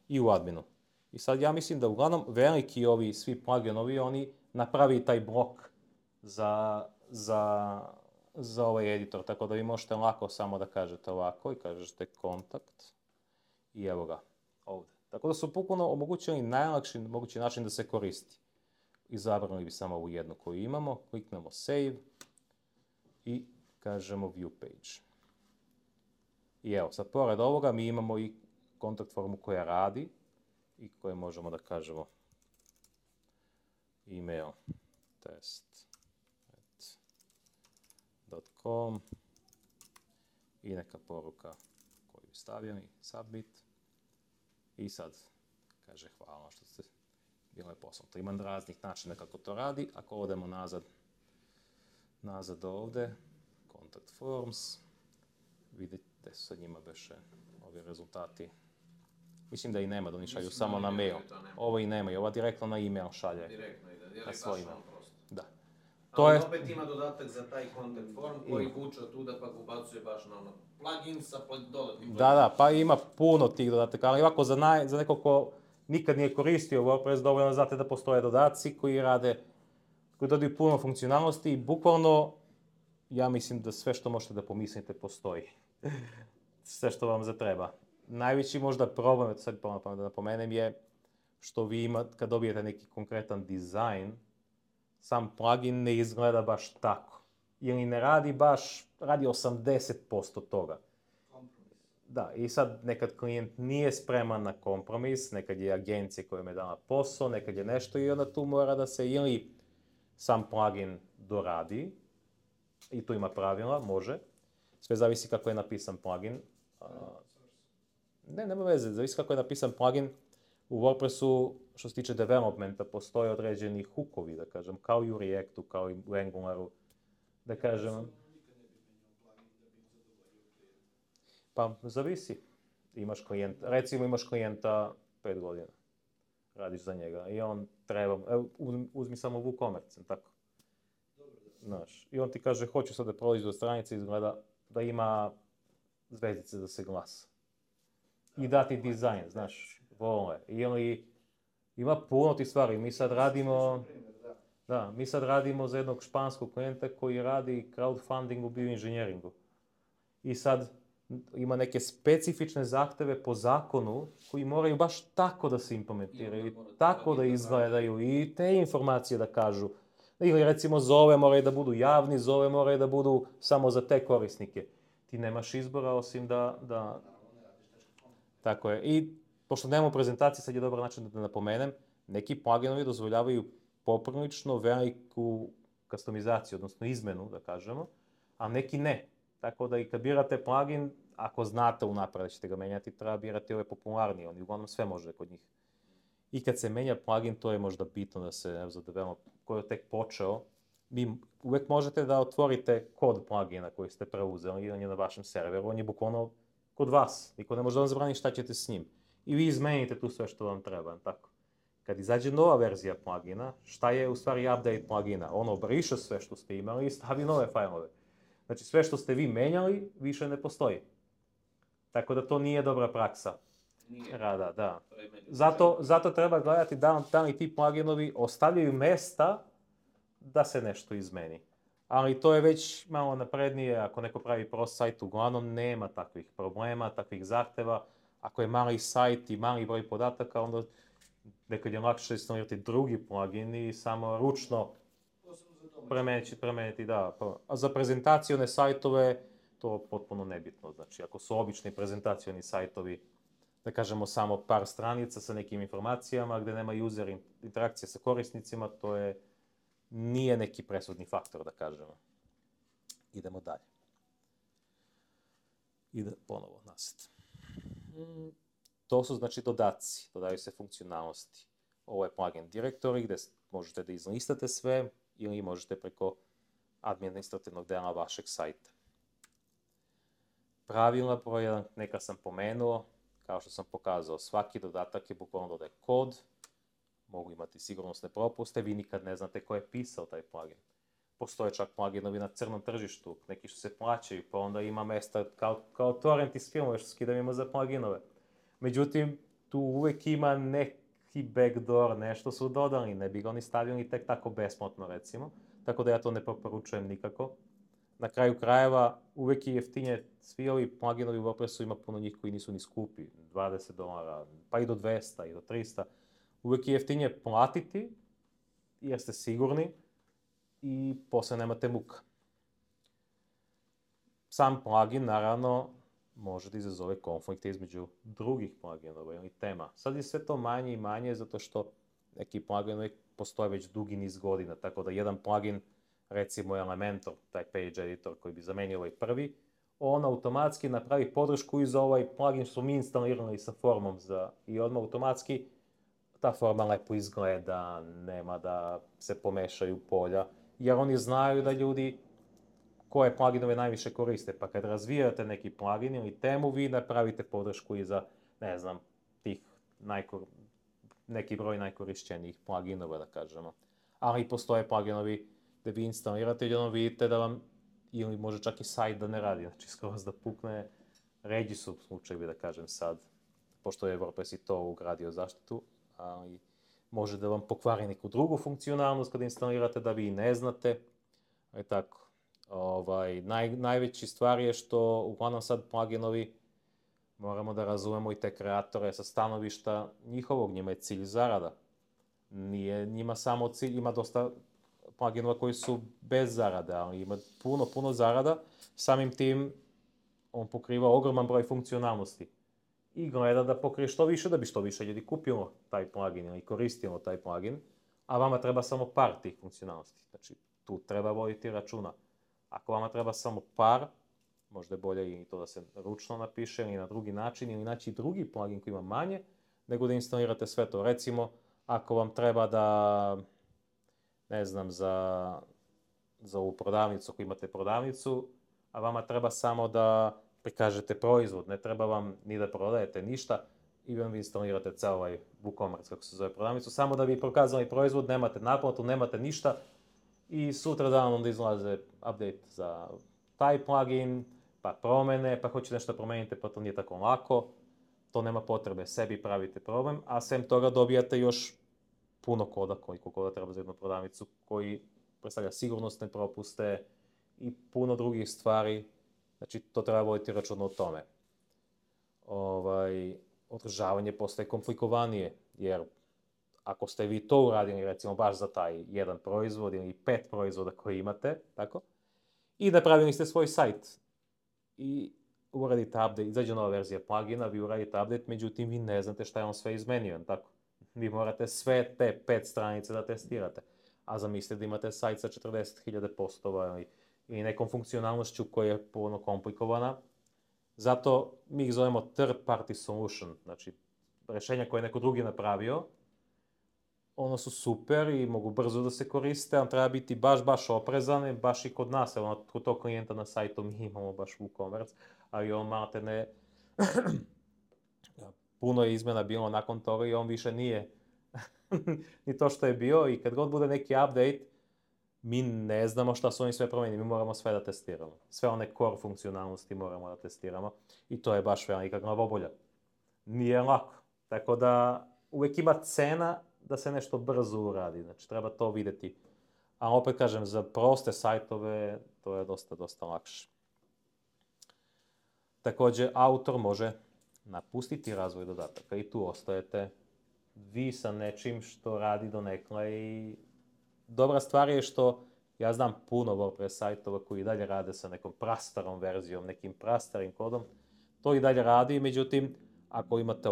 i u adminu. I sad ja mislim da uglavnom veliki ovi svi pluginovi, oni napravi taj blok za ovaj editor. Tako da vi možete lako samo da kažete ovako i kažete kontakt i evo ga ovdje. Tako da su bukvalno omogućili najlakši mogući način da se koristi. Izabrali bi samo ovu jednu koju imamo, kliknemo save i kažemo view page. I evo, sad pored ovoga mi imamo i kontakt formu koja radi i koje možemo da kažemo email test.com i neka poruka koju stavljam i submit. I sad kaže hvala što ste bilo je posljedno. Ima raznih načina kako to radi. Ako odemo nazad ovdje, contact forms, vidite sa njima beše ovi rezultati. Mislim da i nema, da oni šalju samo na mail. Ovo i nema, i ova direktno na email šalje. Direktno ide, na svoj email. Da. Ali opet ima dodatak za taj content form koji vuče tuda pa ubacuje baš na ono plugin sa dodatnim plugin. Da, pa ima puno tih dodataka, ali ovako za neko ko nikad nije koristio WordPress, dovoljno znate da postoje dodaci koji dodaju puno funkcionalnosti i bukvalno ja mislim da sve što možete da pomislite postoji. Sve što vam zatreba. Najveći možda problem, sad da napomenem, je što vi imate, kad dobijete neki konkretan dizajn, sam plugin ne izgleda baš tako. Ili ne radi baš, radi 80% toga. Da, i sad nekad klijent nije spreman na kompromis, nekad je agencija koja je dala posao, nekad je nešto i onda tu mora da se ili sam plugin doradi, i tu ima pravila, može. Sve zavisi kako je napisan plugin. Nema veze, zavisi kako je napisan plugin. U WordPressu, što se tiče developmenta, postoje određeni hookovi, da kažem, kao i u Reactu, kao i u Angularu, da kažem. Pa, zavisi. Recimo imaš klijenta 5 godina, radiš za njega i on treba, uzmi samo WooCommerce, tako. Znaš, i on ti kaže, hoću sad da prolazi do stranice, izgleda da ima zvezdice da se glasa. I dati dizajn, znaš, vole. I ima puno tih stvari. Mi sad radimo za jednog španskog klijenta koji radi crowdfunding u bioinženjeringu. I sad ima neke specifične zahteve po zakonu koji moraju baš tako da se implementiraju, tako da izgledaju i te informacije da kažu. Ili recimo zove moraju da budu javni, zove moraju da budu samo za te korisnike. Ti nemaš izbora osim da... Tako je. I pošto nemamo prezentacije, sad je dobar način da napomenem, neki pluginovi dozvoljavaju poprilično veliku customizaciju, odnosno izmenu, da kažemo, a neki ne. Tako da i kad birate plugin, ako znate unapred da ćete ga menjati, treba birati ove popularnije, oni uglavnom sve može kod njih. I kad se menja plugin, to je možda bitno da se za develop, koji je tek počeo, vi uvek možete da otvorite kod plugina koji ste preuzeli, on je na vašem serveru, on je bukvalno kod vas, niko ne može da vam zabrani šta ćete s njim. I vi izmenite tu sve što vam treba, tako. Kad izađe nova verzija plugina, šta je u stvari update plugina? Ono briše sve što ste imali i stavi nove fajlove. Znači sve što ste vi menjali, više ne postoji. Tako da to nije dobra praksa rada, da. Zato treba gledati da li ti pluginovi ostavljaju mesta da se nešto izmeni. Ali to je već malo naprednije, ako neko pravi pro-sajt, uglavnom nema takvih problema, takvih zahteva. Ako je mali sajt i mali broj podataka, onda nekad je lakše instalirati drugi plugin i samo ručno premeniti, da. A za prezentacione sajtove, to je potpuno nebitno. Znači, ako su obični prezentacioni sajtovi, da kažemo samo par stranica sa nekim informacijama, gde nema user interakcije sa korisnicima, to nije neki presudni faktor, da kažemo. Idemo dalje. Ide ponovo nazad. To su znači dodaci, dodaju se funkcionalnosti. Ovo je plugin directory gde možete da izlistate sve ili možete preko administrativnog dela vašeg sajta. Pravila broj 1, neka sam pomenuo, kao što sam pokazao, svaki dodatak je bukvalno dodaje kod, mogu imati sigurnosne propuste, vi nikad ne znate ko je pisao taj plugin. Postoje čak pluginovi na crnom tržištu, neki što se plaćaju, pa onda ima mesta kao torrent iz filmove što skidamo za pluginove. Međutim, tu uvek ima neki backdoor, nešto su dodali, ne bi ga oni stavili tek tako besplatno, recimo. Tako da ja to ne preporučujem nikako. Na kraju krajeva, uvek je jeftinije, svi ovi pluginovi u WordPressu ima puno njih koji nisu ni skupi, $20, pa i do 200 i do 300. Uvek je jeftinije platiti, jer ste sigurni i posle nemate muka. Sam plugin, naravno, može da izazove konflikte između drugih pluginova ili tema. Sad je sve to manje i manje zato što neki pluginovi postoje već dugi niz godina, tako da jedan plugin, recimo Elementor, taj page editor koji bi zamenio ovaj prvi, on automatski napravi podršku i za ovaj plugin što smo mi instalirali sa formom i odmah automatski ta forma lepo izgleda, nema da se pomešaju polja, jer oni znaju da ljudi koje pluginove najviše koriste, pa kad razvijate neki plugin ili temu, vi napravite podršku i za, ne znam, tih neki broj najkorišćenijih pluginova, da kažemo. Ali postoje pluginovi da vi instalirate i onda vidite da vam, ili može čak i sajt da ne radi, znači skroz da pukne. Ređi su slučajevi, da kažem sad, pošto je WordPress i to ugradio zaštitu, ali može da vam pokvari neku drugu funkcionalnost kada instalirate da vi ne znate. I tako. Najveći stvar je što uglavnom sad pluginovi moramo da razumemo i te kreatore sa stanovišta njihovog, njima je cilj zarada. Nije njima samo cilj, ima dosta pluginova koji su bez zarade, ali ima puno zarada. Samim tim on pokriva ogroman broj funkcionalnosti i gleda da pokrije što više, da bi što više ljudi kupilo taj plugin ili koristilo taj plugin, a vama treba samo par tih funkcionalnosti. Znači, tu treba voditi računa. Ako vama treba samo par, možda je bolje i to da se ručno napiše ili na drugi način, ili naći drugi plugin koji ima manje, nego da instalirate sve to. Recimo, ako vam treba da, ne znam, za ovu prodavnicu, ako imate prodavnicu, a vama treba samo da prikažete proizvod, ne treba vam ni da prodajete ništa i vi instalirate ceo ovaj WooCommerce, kako se zove prodavnicu, samo da bi prokazali proizvod, nemate naplatu, nemate ništa i sutra dan onda izlaze update za taj plugin, pa promene, pa hoćete nešto promenite, pa to nije tako lako, to nema potrebe, sebi pravite problem, a sem toga dobijate još puno koda, koliko koda treba za jednu prodavnicu, koji predstavlja sigurnosne propuste i puno drugih stvari. Znači, to treba voditi računa o tome. Održavanje postaje komplikovanije, jer ako ste vi to uradili, recimo, baš za taj jedan proizvod ili 5 proizvoda koji imate, tako, i napravili ste svoj sajt i uradite update, izađe nova verzija plugina, vi uradite update, međutim, vi ne znate šta je on sve izmenio, tako. Vi morate sve te 5 stranice da testirate, a zamislite da imate sajt sa 40.000 postova ili nekom funkcionalnošću koja je puno komplikovana. Zato mi ih zovemo third party solution, znači rešenja koje je neko drugi napravio, ono su super i mogu brzo da se koriste, ali treba biti baš oprezan, baš i kod nas, kod tog klijenta na sajtu mi imamo baš WooCommerce, ali on malate ne... Puno je izmena bilo nakon toga i on više nije ni to što je bio i kad god bude neki update, mi ne znamo šta su oni sve promenili, mi moramo sve da testiramo. Sve one core funkcionalnosti moramo da testiramo i to je baš velika glavobolja. Nije lako, tako da uvek ima cena da se nešto brzo uradi, znači treba to videti. A opet kažem, za proste sajtove to je dosta lakše. Takođe, autor može napustiti razvoj dodataka i tu ostajete vi sa nečim što radi donekle i dobra stvar je što ja znam puno WordPress sajtova koji i dalje rade sa nekom prastarom verzijom, nekim prastarim kodom. To i dalje radi, međutim, ako imate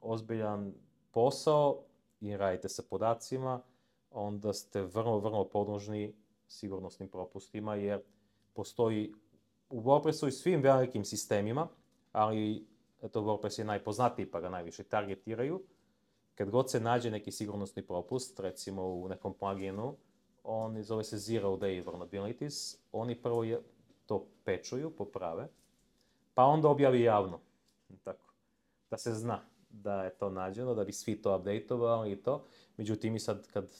ozbiljan posao i radite sa podacima, onda ste vrlo podložni sigurnosnim propustima, jer postoji u WordPressu i svim velikim sistemima, ali eto, WordPress je najpoznatiji pa ga najviše targetiraju. Kad god se nađe neki sigurnosni propust, recimo u nekom pluginu, on zove se Zero Day Vulnerabilities, oni prvo to pečuju, poprave, pa onda objavi javno, tako, da se zna da je to nađeno, da bi svi to updateovali i to. Međutim, i sad kad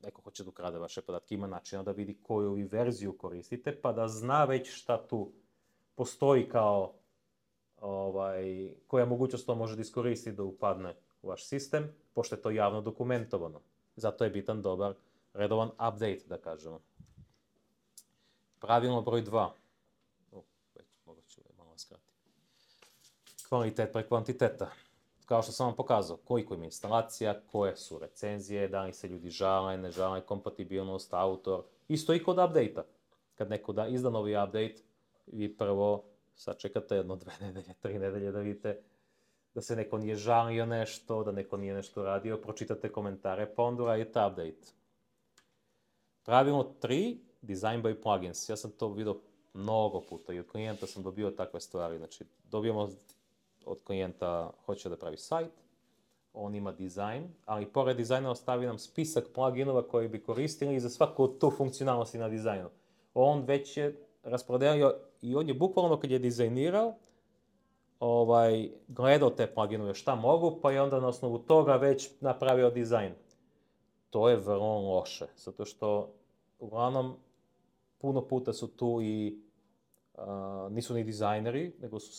neko hoće da ukrade vaše podatke, ima načina da vidi koju vi verziju koristite, pa da zna već šta tu postoji kao koja mogućnost to može da iskoristi da upadne u vaš sistem, pošto je to javno dokumentovano. Zato je bitan dobar redovan update, da kažemo. Pravilno broj 2. Možda ću malo skratiti. Kvalitet pre kvantiteta. Kao što sam vam pokazao, koliko ima instalacija, koje su recenzije, da li se ljudi žale, ne žale, kompatibilnost, autor. Isto i kod update-a. Kad neko izda novi update, vi prvo sačekate 1, 2 nedelje, 3 nedelje da vidite da se neko nije žalio nešto, da neko nije nešto radio, pročitate komentare, pa onda uradite update. Pravilno 3, design by plugins. Ja sam to vidio mnogo puta i od klijenta sam dobio takve stvari. Znači, dobijamo od klijenta, hoće da pravi sajt, on ima dizajn, ali pored dizajna ostavi nam spisak pluginova koji bi koristili za svaku od tu funkcionalnosti na dizajnu. On već je raspodelio i on je bukvalno kad je dizajnirao, gledao te pluginove šta mogu, pa je onda na osnovu toga već napravio dizajn. to je vrlo loše, zato što uglavnom puno puta su tu i nisu ni dizajneri, nego su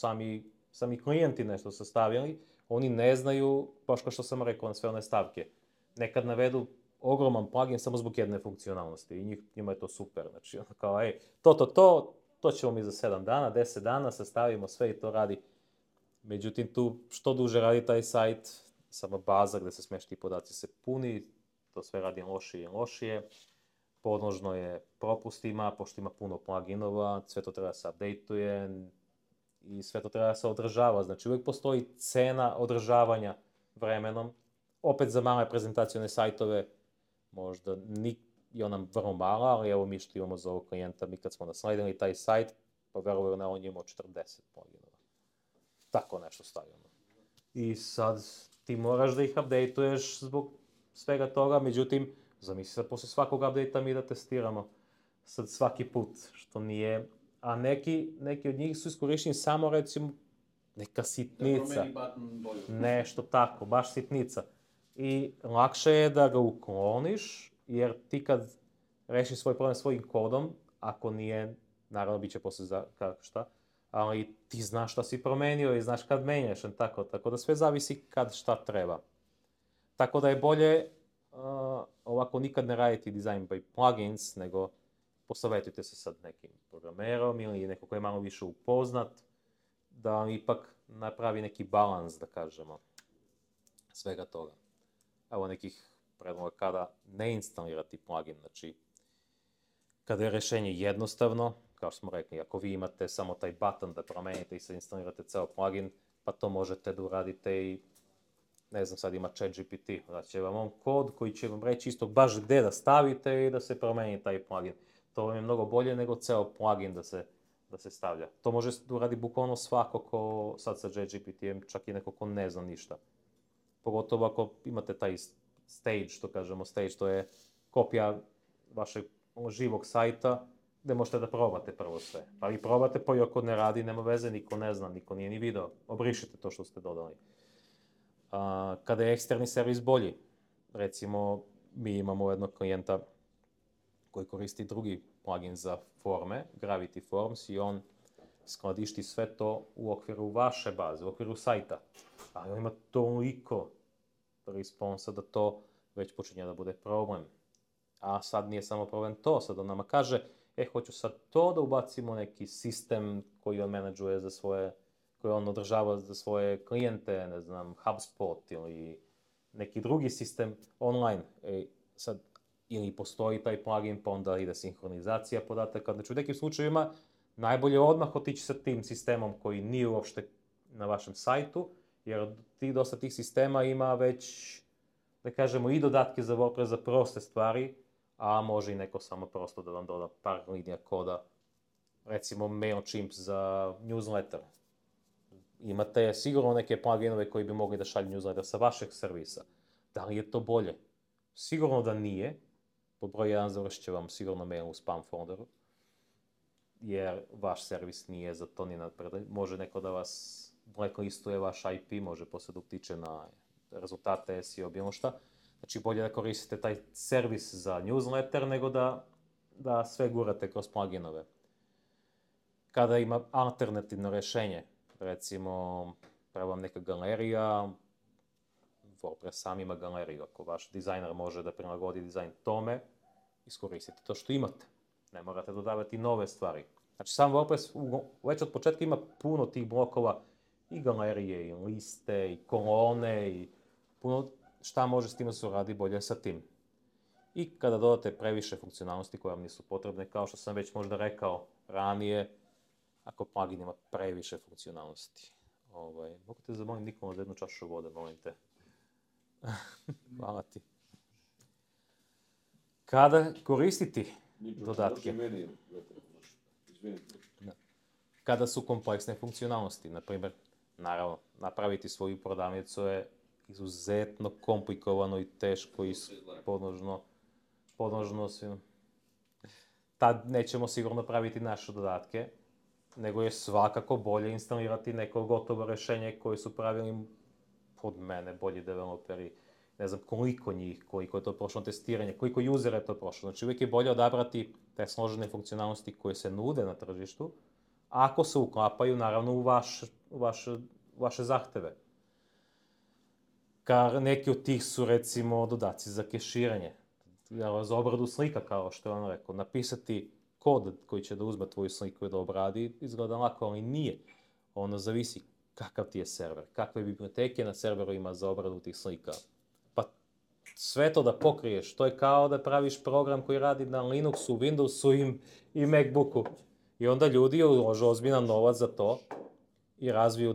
sami klijenti nešto sastavili, oni ne znaju, baš kao što sam rekao na sve one stavke. Nekad navedu ogroman plugin samo zbog jedne funkcionalnosti i njima je to super. Znači, kao, to ćemo mi za 7 dana, 10 dana, sastavimo sve i to radi. Međutim, tu što duže radi taj sajt, sama baza gde se smeš ti podaci se puni, to sve radi lošije i lošije. Podložno je propustima, pošto ima puno pluginova, sve to treba se updateuje i sve to treba se održava. Znači, uvijek postoji cena održavanja vremenom. Opet za male prezentacione sajtove, možda je ona vrlo mala, ali evo mi što imamo za ovog klijenta, mi kad smo nasledili taj sajt, pa verujem na on je imao 40 pluginova. Tako nešto stavljamo. I sad ti moraš da ih updateuješ zbog svega toga, međutim, zamisli sad posle svakog update-a mi da testiramo sad svaki put, što nije... A neki od njih su iskorišteni samo, recimo, neka sitnica. Nešto tako, baš sitnica. I lakše je da ga ukloniš, jer ti kad rešiš svoj problem svojim kodom, ako nije, naravno bit će posle šta, ali ti znaš šta si promenio i znaš kad menjaš, tako da sve zavisi kad šta treba. Tako da je bolje ovako nikad ne raditi design by plugins, nego posavetujte se sad nekim programerom ili neko ko je malo više upoznat, da vam ipak napravi neki balans, da kažemo, svega toga. Evo nekih predloga kada ne instalirati plugin, znači kada je rešenje jednostavno, kao što smo rekli, ako vi imate samo taj button da promenite i sad instalirate ceo plugin, pa to možete da uradite i, ne znam, sad ima ChatGPT, da će vam on kod koji će vam reći isto baš gde da stavite i da se promeni taj plugin. To vam je mnogo bolje nego ceo plugin da se stavlja. To može da uradi bukvalno svako ko sad sa ChatGPT-em, čak i neko ko ne zna ništa. Pogotovo ako imate taj stage, što kažemo stage, to je kopija vašeg živog sajta, gde možete da probate prvo sve. Pa vi probate, pa i ako ne radi, nema veze, niko ne zna, niko nije ni video. Obrišite to što ste dodali. Kada je eksterni servis bolji, recimo, mi imamo jednog klijenta koji koristi drugi plugin za forme, Gravity Forms, i on skladišti sve to u okviru vaše baze, u okviru sajta. Ali on ima toliko responsa da to već počinje da bude problem. A sad nije samo problem to, sad on nama kaže, hoću sad to da ubacimo neki sistem koji on menadžuje za svoje, koji on održava za svoje klijente, ne znam, HubSpot ili neki drugi sistem online. Sad, ili postoji taj plugin, pa onda ide sinhronizacija podataka. Znači, u nekim slučajevima najbolje odmah otići sa tim sistemom koji nije uopšte na vašem sajtu, jer dosta tih sistema ima već, da kažemo, i dodatke za WordPress za proste stvari, a može i neko samo prosto da vam doda par linija koda, recimo MailChimp za newsletter. Imate sigurno neke pluginove koji bi mogli da šalju newsletter sa vašeg servisa. Da li je to bolje? Sigurno da nije. Pod broj 1 završit će vam sigurno mail u spam folderu, jer vaš servis nije za to ni napredaj. Može neko da vas blacklistuje vaš IP, može posle da utiče na rezultate SEO, bilo šta. Znači, bolje da koristite taj servis za newsletter nego da sve gurate kroz pluginove. Kada ima alternativno rešenje, recimo, treba vam neka galerija, WordPress sam ima galeriju. Ako vaš dizajner može da prilagodi dizajn tome, iskoristite to što imate. Ne morate dodavati nove stvari. Znači, sam WordPress već od početka ima puno tih blokova, i galerije, i liste, i kolone, i puno šta može s tim da se uradi bolje sa tim. I kada dodate previše funkcionalnosti koje vam nisu potrebne, kao što sam već možda rekao ranije, ako plugin ima previše funkcionalnosti. Mogu te zamolim, Nikola, za jednu čašu vode, molim te. Hvala ti. Kada koristiti dodatke? Kada su kompleksne funkcionalnosti, na primjer, naravno, napraviti svoju prodavnicu je izuzetno komplikovano i teško i podložno svim. Tad nećemo sigurno praviti naše dodatke, nego je svakako bolje instalirati neko gotovo rešenje koje su pravili pod mene bolji developeri. ne znam koliko njih, koliko je to prošlo testiranje, koliko usera je to prošlo. Znači uvijek je bolje odabrati te složene funkcionalnosti koje se nude na tržištu, ako se uklapaju naravno u vaše zahteve. Neki od tih su recimo dodaci za keširanje, za obradu slika kao što je on rekao. Napisati kod koji će da uzme tvoju sliku i da obradi izgleda lako, ali nije. Ono zavisi kakav ti je server, kakve biblioteke na serveru ima za obradu tih slika. Pa sve to da pokriješ, to je kao da praviš program koji radi na Linuxu, Windowsu i Macbooku. I onda ljudi ulože ozbiljan novac za to i razviju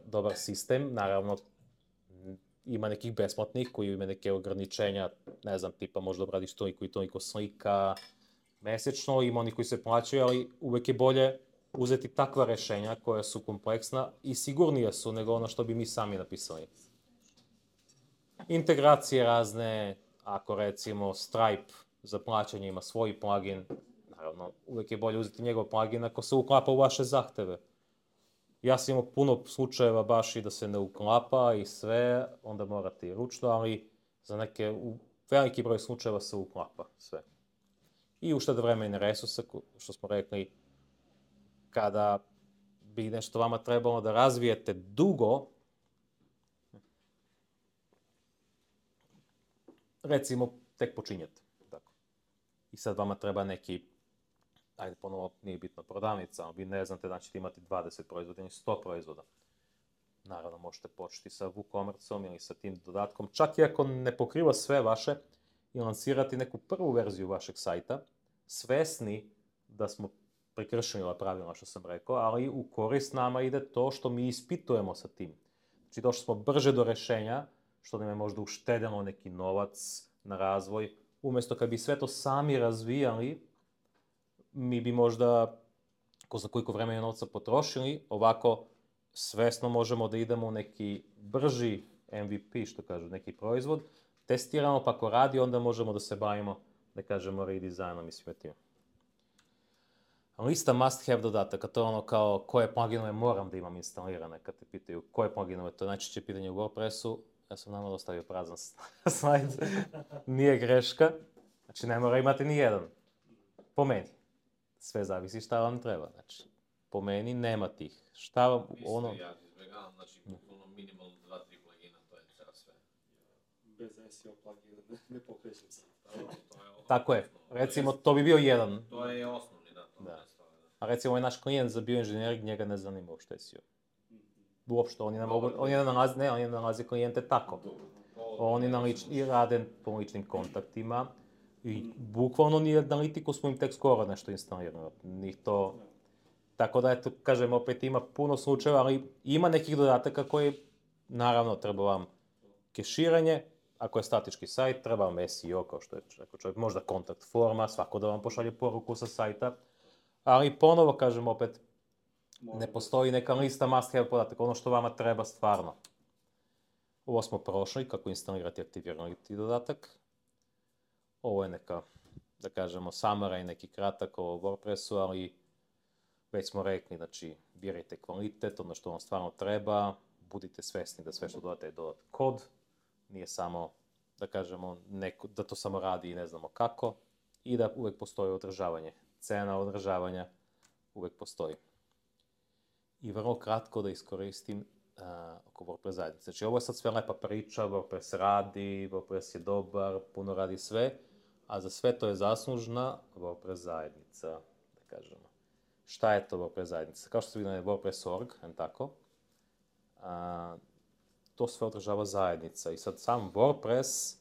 dobar sistem. Naravno, ima nekih besplatnih koji ima neke ograničenja, ne znam, tipa možda obradiš toliko i toliko slika mesečno, ima oni koji se plaćaju, ali uvek je bolje uzeti takva rešenja koja su kompleksna i sigurnije su nego ono što bi mi sami napisali. Integracije razne, ako recimo Stripe za plaćanje ima svoj plugin, naravno uvek je bolje uzeti njegov plugin ako se uklapa u vaše zahteve. Ja sam imao puno slučajeva baš i da se ne uklapa i sve, onda morate i ručno, ali za veliki broj slučajeva se uklapa sve. I ušteda vremena i resursa, što smo rekli, kada bi nešto vama trebalo da razvijete dugo, recimo tek počinjete. Tako. I sad vama treba neki, ajde ponovo nije bitno prodavnica, ali vi ne znate da ćete imati 20 proizvoda ili 100 proizvoda. Naravno možete početi sa WooCommerce-om ili sa tim dodatkom, čak i ako ne pokriva sve vaše, i lansirati neku prvu verziju vašeg sajta, svesni da smo prekršili ova pravila što sam rekao, ali u korist nama ide to što mi ispitujemo sa tim. Znači došli smo brže do rešenja, što nam je možda uštedilo neki novac na razvoj. Umjesto kad bi sve to sami razvijali, mi bi možda, ko zna koliko vremena i novca potrošili, ovako svesno možemo da idemo u neki brži MVP, što kažu, neki proizvod, testiramo pa ako radi, onda možemo da se bavimo, da kažemo, redesignom i svime tim. Lista must have dodataka, to je ono kao koje pluginove moram da imam instalirane, kad te pitaju koje pluginove, to je najčešće pitanje u WordPressu. Ja sam namalo ostavio prazan slajd, nije greška, znači ne mora imati ni jedan, po meni. Sve zavisi šta vam treba, znači po meni nema tih. Šta vam ono... Ja izbjegavam, znači bukvalno minimalno 2-3 plugina, to je sve. Bez SEO plugina ne pokrećem se. Tako je, recimo to bi bio jedan. To je osnovni, da. A recimo ovaj naš klijent za bioinženjering, njega ne zanima uopšte SEO. Uopšte, oni ne nalaze klijente tako. Oni rade po ličnim kontaktima i bukvalno ni analitiku smo im tek skoro nešto instalirali. Tako da, eto, kažem, opet ima puno slučajeva, ali ima nekih dodataka koji, naravno, treba vam keširanje, ako je statički sajt, treba vam SEO, kao što je rekao čovjek, možda kontakt forma, svako da vam pošalje poruku sa sajta, ali ponovo, kažem, opet, ne postoji neka lista must have podataka, ono što vama treba stvarno. Ovo smo prošli, kako instalirati i aktivirati dodatak. Ovo je neka, da kažemo, summary, neki kratak o WordPressu, ali već smo rekli, znači, birajte kvalitet, ono što vam stvarno treba, budite svesni da sve što dodate je dodat kod, nije samo, da kažemo, da to samo radi i ne znamo kako, i da uvek postoji održavanje. Cena održavanja uvek postoji. I vrlo kratko da iskoristim oko WordPress zajednice. Znači, ovo je sad sve lepa priča, WordPress radi, WordPress je dobar, puno radi sve, a za sve to je zaslužna WordPress zajednica, da kažemo. Šta je to WordPress zajednica? Kao što se vidi na WordPress.org, tako, to sve održava zajednica. I sad sam WordPress,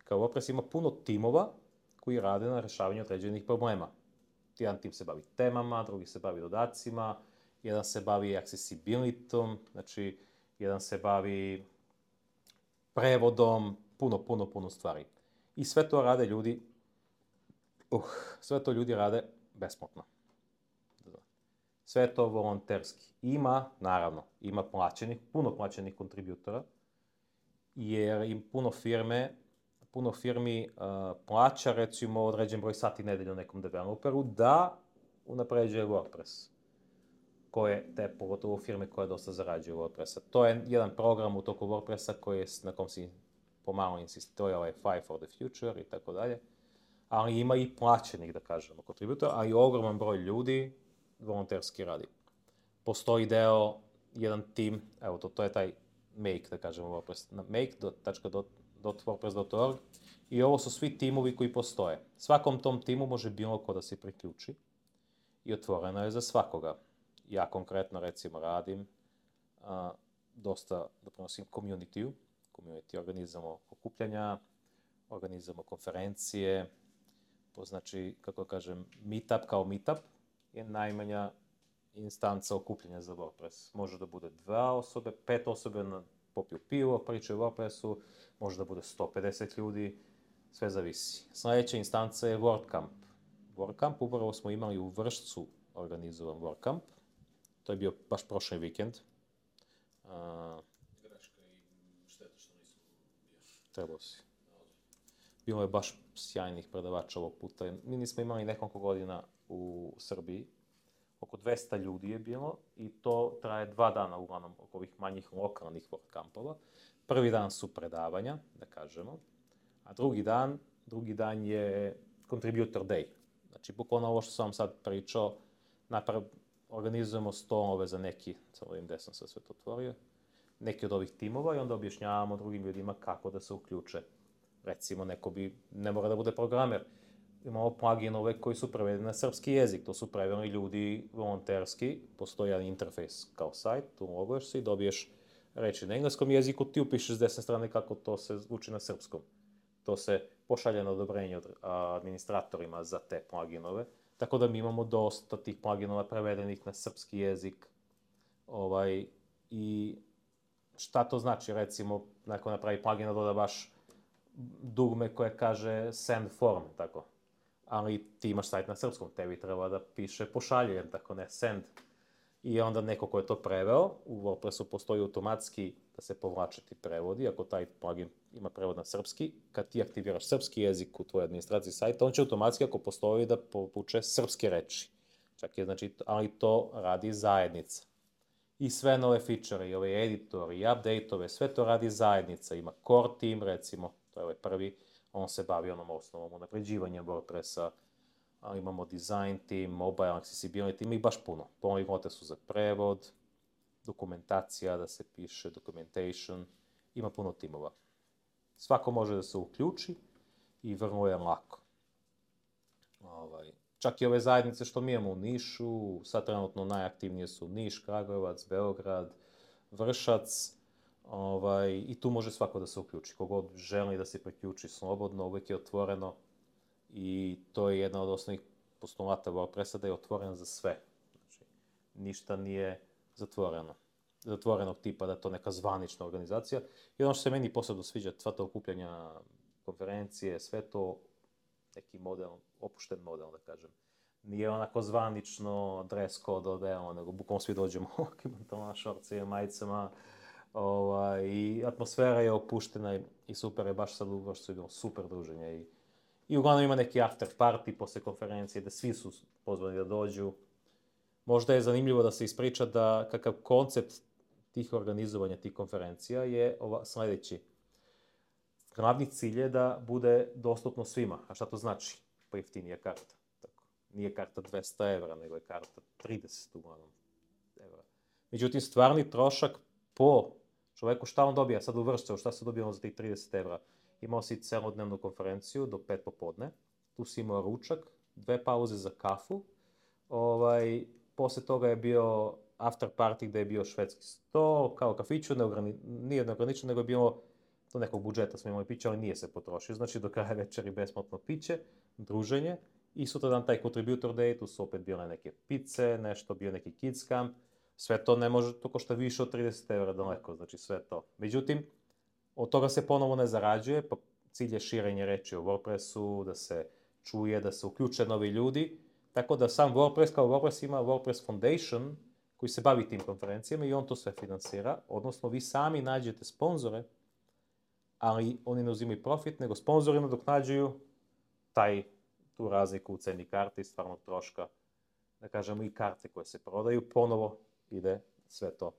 kao WordPress ima puno timova koji rade na rešavanju određenih problema. Jedan tim se bavi temama, drugi se bavi dodacima, jedan se bavi accessibilityom, znači jedan se bavi prevodom, puno stvari. I sve to rade ljudi, sve to ljudi rade besplatno. Sve je to volonterski. Ima, naravno, ima puno plaćenih kontributora, jer im puno firmi plaća, recimo, određen broj sati nedelju nekom developeru da unapređuje WordPress. Pogotovo firme koje dosta zarađuju WordPressa. To je jedan program u toku WordPressa na kom si pomalo insistiraju, ovaj Five for the Future i tako dalje. Ali ima i plaćenih, da kažemo, kontributora, a i ogroman broj ljudi volonterski radi. Postoji jedan tim, evo to je taj Make, da kažemo, WordPress, make.wordpress.org i ovo su svi timovi koji postoje. Svakom tom timu može bilo ko da se priključi i otvoreno je za svakoga. Ja konkretno, recimo, radim dosta doprinosim community organizamo okupljanja, organizamo konferencije, to znači, kako kažem, meetup kao meetup je najmanja instanca okupljanja za WordPress. Može da bude 2 osobe, 5 osobe popiju pivo, pričaju o WordPressu, može da bude 150 ljudi, sve zavisi. Sljedeća instanca je WordCamp. WordCamp, upravo smo imali u Vršcu organizovan WordCamp. To je bio baš prošli vikend. Greška i šteta što nismo bili. Trebao si. Bilo je baš sjajnih predavača ovog puta. Mi nismo imali nekoliko godina u Srbiji. Oko 200 ljudi je bilo i to traje 2 dana uglavnom oko ovih manjih lokalnih WordCampova. Prvi dan su predavanja, da kažemo, a drugi dan je Contributor Day. Znači, bukvalno ovo što sam vam sad pričao, organizujemo stolove za neki, samo ovim desno sam sve to otvorio, neki od ovih timova i onda objašnjavamo drugim ljudima kako da se uključe. Recimo, ne mora da bude programer. Imamo pluginove koji su prevedeni na srpski jezik. To su preveli ljudi volonterski. Postoji jedan interfejs kao sajt, tu loguješ se i dobiješ reči na engleskom jeziku, ti upišeš s desne strane kako to se zvuči na srpskom. To se pošalje na odobrenje od administratorima za te pluginove. Tako da mi imamo dosta tih pluginova prevedenih na srpski jezik. I šta to znači? Recimo, neko napravi plugin da doda baš dugme koje kaže send form, tako. Ali ti imaš sajt na srpskom, tebi treba da piše pošaljen, tako ne send. I onda neko ko je to preveo, u WordPressu postoji automatski da se povlače ti prevodi, ako taj plugin ima prevod na srpski, kad ti aktiviraš srpski jezik u tvojoj administraciji sajta, on će automatski, ako postoji, da povuče srpske reči. Čak je, znači, ali to radi zajednica. I sve nove feature, i ove editor, i update-ove, sve to radi zajednica. Ima core team, recimo, to je ovaj prvi, on se bavi onom osnovom unapređivanjem WordPressa, imamo design team, mobile accessibility, ima ih baš puno. Polinote su za prevod, dokumentacija da se piše, documentation, ima puno timova. Svako može da se uključi i vrlo je lako. Čak i ove zajednice što mi imamo u Nišu, sad trenutno najaktivnije su Niš, Kragujevac, Beograd, Vršac, i tu može svako da se uključi. Kogod želi da se priključi slobodno, uvijek je otvoreno i to je jedna od osnovnih postulata WordPressa da je otvoren za sve. Znači, ništa nije zatvoreno. Zatvorenog tipa da je to neka zvanična organizacija. I ono što se meni posebno sviđa, sva ta okupljanja, konferencije, sve to neki model, opušten model, da kažem. Nije onako zvanično dress code odeo, nego bukvalno svi dođemo u pantalona, šorcima, majicama, i atmosfera je opuštena i super je, baš sad u Vršcu je bilo super druženje. I uglavnom ima neki after party posle konferencije, da svi su pozvani da dođu. Možda je zanimljivo da se ispriča da kakav koncept tih organizovanja, tih konferencija je sljedeći. Glavni cilj je da bude dostupno svima. A šta to znači? Pojeftinija karta. Tako. Nije karta 200 evra, nego je karta 30 uglavnom evra. Međutim, stvarni trošak po čoveku, šta on dobija sad u Vršcu, šta se dobijamo za tih 30 evra? Imao si celodnevnu konferenciju do 5 popodne, tu si imao ručak, 2 pauze za kafu, posle toga je bio after party gde je bio švedski sto, kao kafiću, nije neograničeno, nego je bilo do nekog budžeta smo imali piće, ali nije se potrošio, znači do kraja večeri besplatno piće, druženje i sutra dan taj contributor day, tu su opet bile neke pice, nešto, bio neki kids camp, sve to ne može, to košta više od 30 evra daleko, znači sve to. Međutim, od toga se ponovo ne zarađuje, pa cilj je širenje reči o WordPressu, da se čuje, da se uključe novi ljudi, tako da sam WordPress kao WordPress ima WordPress Foundation koji se bavi tim konferencijama i on to sve finansira, odnosno vi sami nađete sponzore, ali oni ne uzimaju profit, nego sponzori nadoknađuju tu razliku u ceni karte i stvarnog troška, da kažemo i karte koje se prodaju, ponovo ide sve to.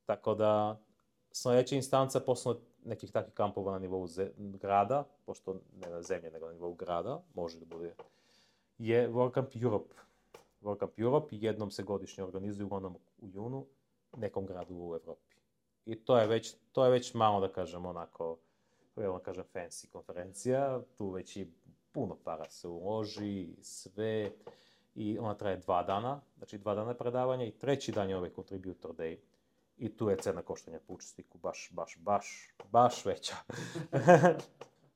Tako da Sljedeća instanca, posle nekih takvih kampova na nivou grada, pošto ne na zemlje, nego na nivou grada, može da bude, je WordCamp Europe. WordCamp Europe jednom se godišnje organizuje uglavnom u junu nekom gradu u Evropi. I to je već malo, da kažem, onako, da kažem, fancy konferencija, tu već i puno para se uloži, sve, i ona traje 2 dana, znači 2 dana predavanja i 3. dan je ovaj Contributor Day. I tu je cena koštanja po učesniku baš veća.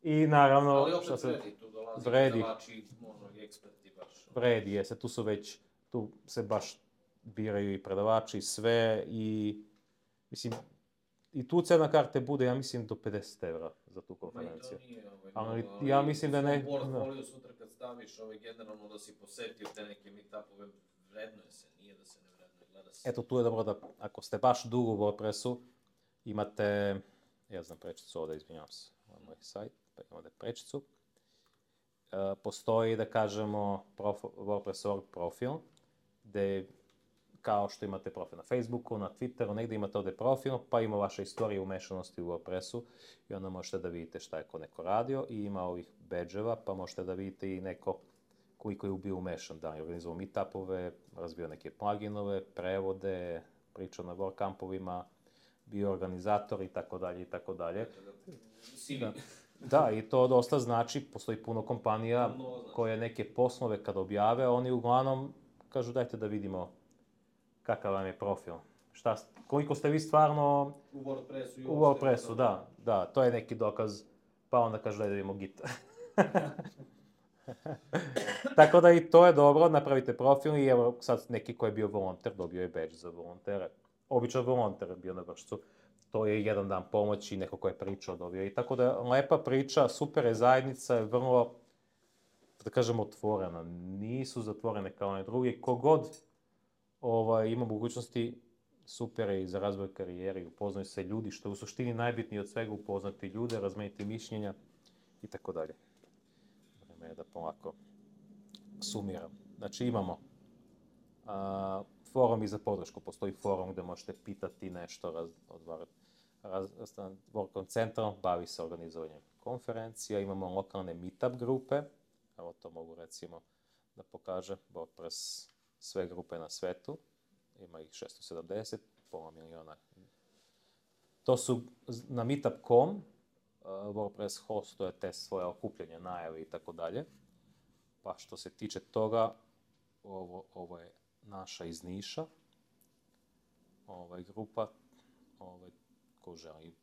I naravno... Ali opet vredi, tu dolazi predavači, možda i eksperti baš. Vredi, jeste, tu se baš biraju i predavači, sve, i mislim, i tu cena karte bude, ja mislim, do 50 € za tu konferenciju. Ma i to nije ali ja mislim da ne... U portfoliju sutra kad staviš generalno da si posetio te neke meetupove, vrednuje se, nije da se ne vrednuje, gleda se. Eto, tu je dobro da, ako ste baš dugo u WordPressu, imate, ja znam prečicu ovdje, izvinjavam se, ovo je moj sajt, pa imamo da je prečicu. Postoji, da kažemo, WordPress.org profil, gde kao što imate profil na Facebooku, na Twitteru, negdje imate ovdje profil, pa ima vaša istorija umešanosti u WordPressu i onda možete da vidite šta je ko neko radio i ima ovih badge-eva, pa možete da vidite i neko koliko je bio umešan, da je organizovao meetupove, razvio neke pluginove, prevode, pričao na WordCampovima, bio organizator i tako dalje i tako dalje. Da, i to dosta znači, postoji puno kompanija koje neke poslove kad objave, oni uglavnom kažu dajte da vidimo kakav vam je profil. Koliko ste vi stvarno u WordPressu, da, to je neki dokaz, pa onda kažu daj da vidimo Git. Tako da i to je dobro, napravite profil i evo sad neki ko je bio volonter, dobio je badge za volontere. Običan volonter je bio na vršcu. To je 1 dan pomoći, neko ko je pričao dobio. I tako da je lepa priča, super je zajednica, je vrlo, da kažem, otvorena. Nisu zatvorene kao one drugi. Kogod ima mogućnosti, super je i za razvoj karijere, upoznaju se ljudi, što je u suštini najbitnije od svega, upoznati ljude, razmeniti mišljenja i tako dalje. Vreme je da polako sumiram. Znači imamo forum i za podršku. Postoji forum gde možete pitati nešto, WordCamp Central bavi se organizovanjem konferencija, imamo lokalne meetup grupe, evo to mogu recimo da pokažem, WordPress sve grupe na svetu, ima ih 670, pola miliona. To su na meetup.com, WordPress hostuje te svoje okupljanje, najave i tako dalje. Pa što se tiče toga, ovo je naša iz Niša, grupa, ko želi.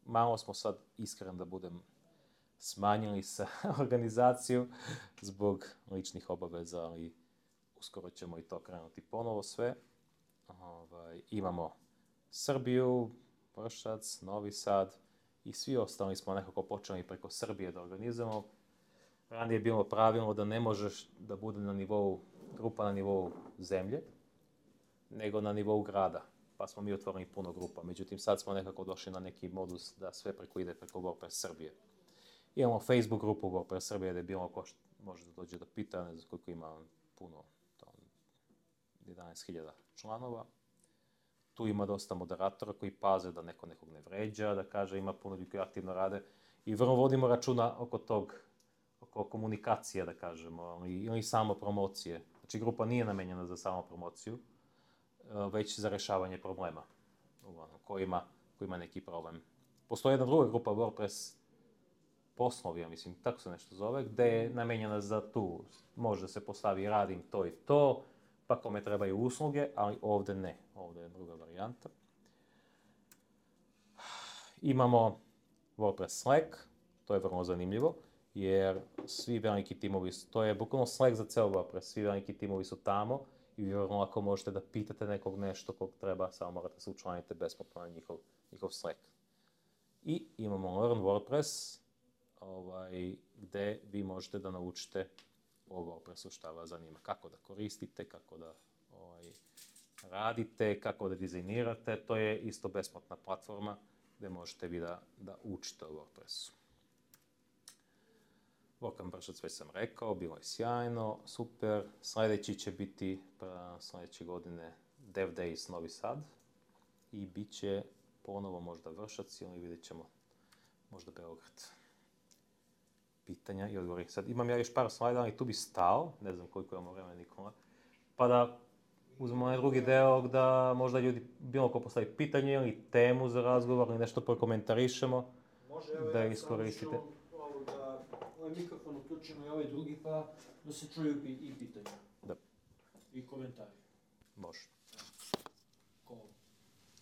Malo smo sad, iskren da budem, smanjili sa organizaciju zbog ličnih obaveza, ali uskoro ćemo i to krenuti ponovo sve. Imamo Srbiju, Vršac, Novi Sad i svi ostali smo nekako počeli preko Srbije da organizujemo. Ranije je bilo pravilno da ne možeš da bude na nivou, grupa na nivou zemlje, nego na nivou grada. Pa smo mi otvorili puno grupa. Međutim, sad smo nekako došli na neki modus da sve ide preko WordPress Srbije. Imamo Facebook grupu WordPress Srbije gdje bilo ko može da dođe da pita, ne znam koliko ima, puno, 11.000 članova. Tu ima dosta moderatora koji paze da neko nekog ne vređa, da kaže ima puno ljudi koji aktivno rade. I vrlo vodimo računa oko komunikacije, da kažemo, ili samo promocije. Znači, grupa nije namenjena za samo promociju, već za rešavanje problema, ko ima neki problem. Postoji jedna druga grupa WordPress poslovi, ja mislim, tako se nešto zove, gde je namenjena za tu, može se postavi radim to i to, pa kome trebaju usluge, ali ovde ne, ovde je druga varijanta. Imamo WordPress Slack, to je vrlo zanimljivo, jer svi veliki timovi, to je bukvalno Slack za ceo WordPress, svi veliki timovi su tamo i vrlo lako možete da pitate nekog nešto kog treba, samo morate se učlaniti besplatno na njihov Slack. I imamo Learn WordPress, gde vi možete da naučite o WordPressu šta vas zanima, kako da koristite, kako da radite, kako da dizajnirate. To je isto besplatna platforma gde možete vi da učite o WordPressu. WordCamp Vršac već sam rekao, bilo je sjajno, super. Sljedeći će biti sljedeće godine Dev Days Novi Sad i bit će ponovo možda Vršac ili vidjet ćemo možda Beograd. Pitanja i odgovori. Sad imam ja još par slajda, ali tu bi stao, ne znam koliko imamo vremena Nikola, pa da uzmemo onaj drugi deo da možda ljudi bilo ko postavi pitanje ili temu za razgovor ili nešto prokomentarišemo. Može, evo da ja iskoristite. samo ću ovaj mikrofon uključimo i ovaj drugi, pa da se čuju i pitanja. Da. I komentari. Može. Ko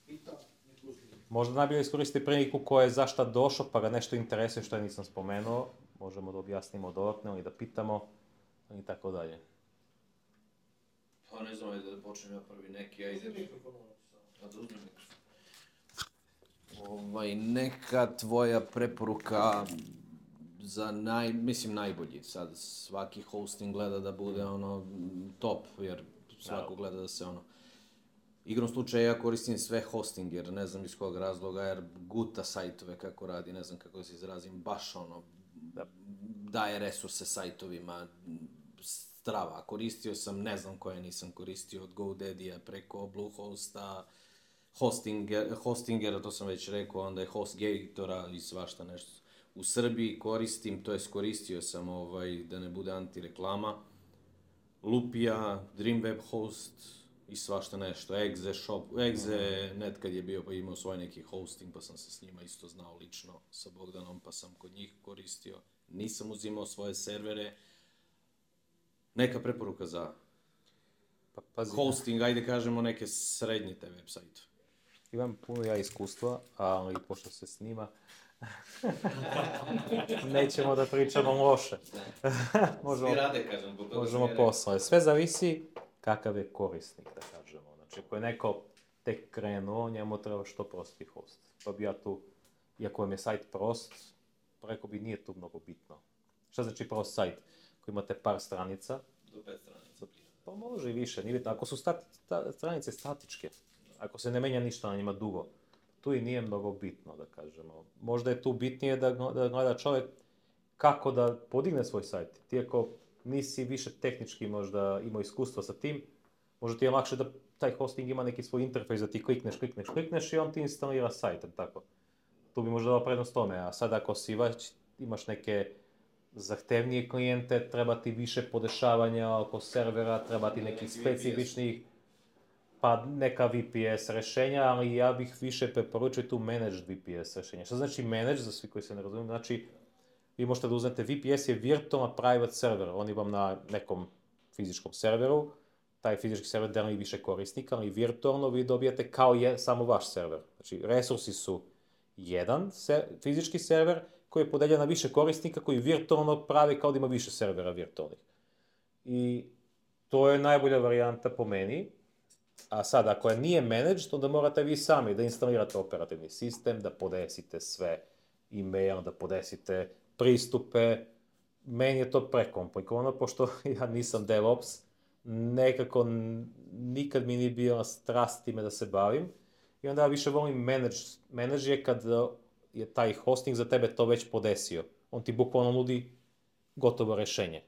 pita, nek uzme. Možda najbolje iskoristiti priliku ko je zašta došao, pa ga nešto interesuje što ja nisam spomenuo. Možemo da objasnimo dodatno ili da pitamo i tako dalje. Pa ne znam, ajde da počnem ja prvi neki, ajde. Uzmi mikrofon, Da uzmem mikrofon. Neka tvoja preporuka za najbolji, sad svaki hosting gleda da bude top, jer svako gleda da se igrom slučaja ja koristim sve hosting, jer ne znam iz kog razloga, jer guta sajtove kako radi, ne znam kako da se izrazim, baš daje resurse sajtovima, strava. Koristio sam, ne znam koje nisam koristio, od GoDaddy-a preko Bluehosta, Hostingera, to sam već rekao, onda je HostGatora i svašta nešto. U Srbiji koristim, to jest koristio sam, da ne bude antireklama, Lupia, Dreamweb Host i svašta nešto, Exe.net kad je bio pa imao svoj neki hosting pa sam se s njima isto znao lično sa Bogdanom pa sam kod njih koristio. Nisam uzimao svoje servere. Neka preporuka za hosting, ajde kažemo neke srednje te web sajte. Imam puno ja iskustva, ali pošto se snima, nećemo da pričamo loše. Svi rade, kažem, zbog toga možemo posle. Sve zavisi kakav je korisnik, da kažemo. Znači, ako je neko tek krenuo, njemu treba što prosti host. Pa bi ja tu, iako vam je sajt prost, rekao bi nije tu mnogo bitno. Šta znači prost sajt? Ako imate par stranica, do 5 stranica. Pa može i više, nije bitno. Ako su stranice statičke, ako se ne menja ništa na njima dugo, tu i nije mnogo bitno, da kažemo. Možda je tu bitnije da gleda čovjek kako da podigne svoj sajt. Ti ako nisi više tehnički možda imao iskustva sa tim, možda ti je lakše da taj hosting ima neki svoj interfejs da ti klikneš i on ti instalira sajt, tako. Tu bi možda dao prednost tome, a sad ako si imaš neke zahtevnije klijente, treba ti više podešavanja oko servera, treba ti nekih specifičnih, pa neka VPS rješenja, ali ja bih više preporučio tu managed VPS rješenja. Što znači managed, za svi koji se ne razumiju, znači vi možete da uzmete VPS je virtualna private server, oni vam na nekom fizičkom serveru, taj fizički server deli više korisnika, ali virtualno vi dobijate kao samo vaš server. Znači resursi su jedan fizički server koji je podeljen na više korisnika koji virtualno pravi kao da ima više servera virtualnih. I to je najbolja varijanta po meni. A sad, ako je nije managed, onda morate vi sami da instalirate operativni sistem, da podesite sve e-mail, da podesite pristupe. Meni je to prekomplikovano, pošto ja nisam DevOps, nekako nikad mi nije bila strast time da se bavim. I onda ja više volim manage je kad je taj hosting za tebe to već podesio. On ti bukvalno nudi gotovo rješenje.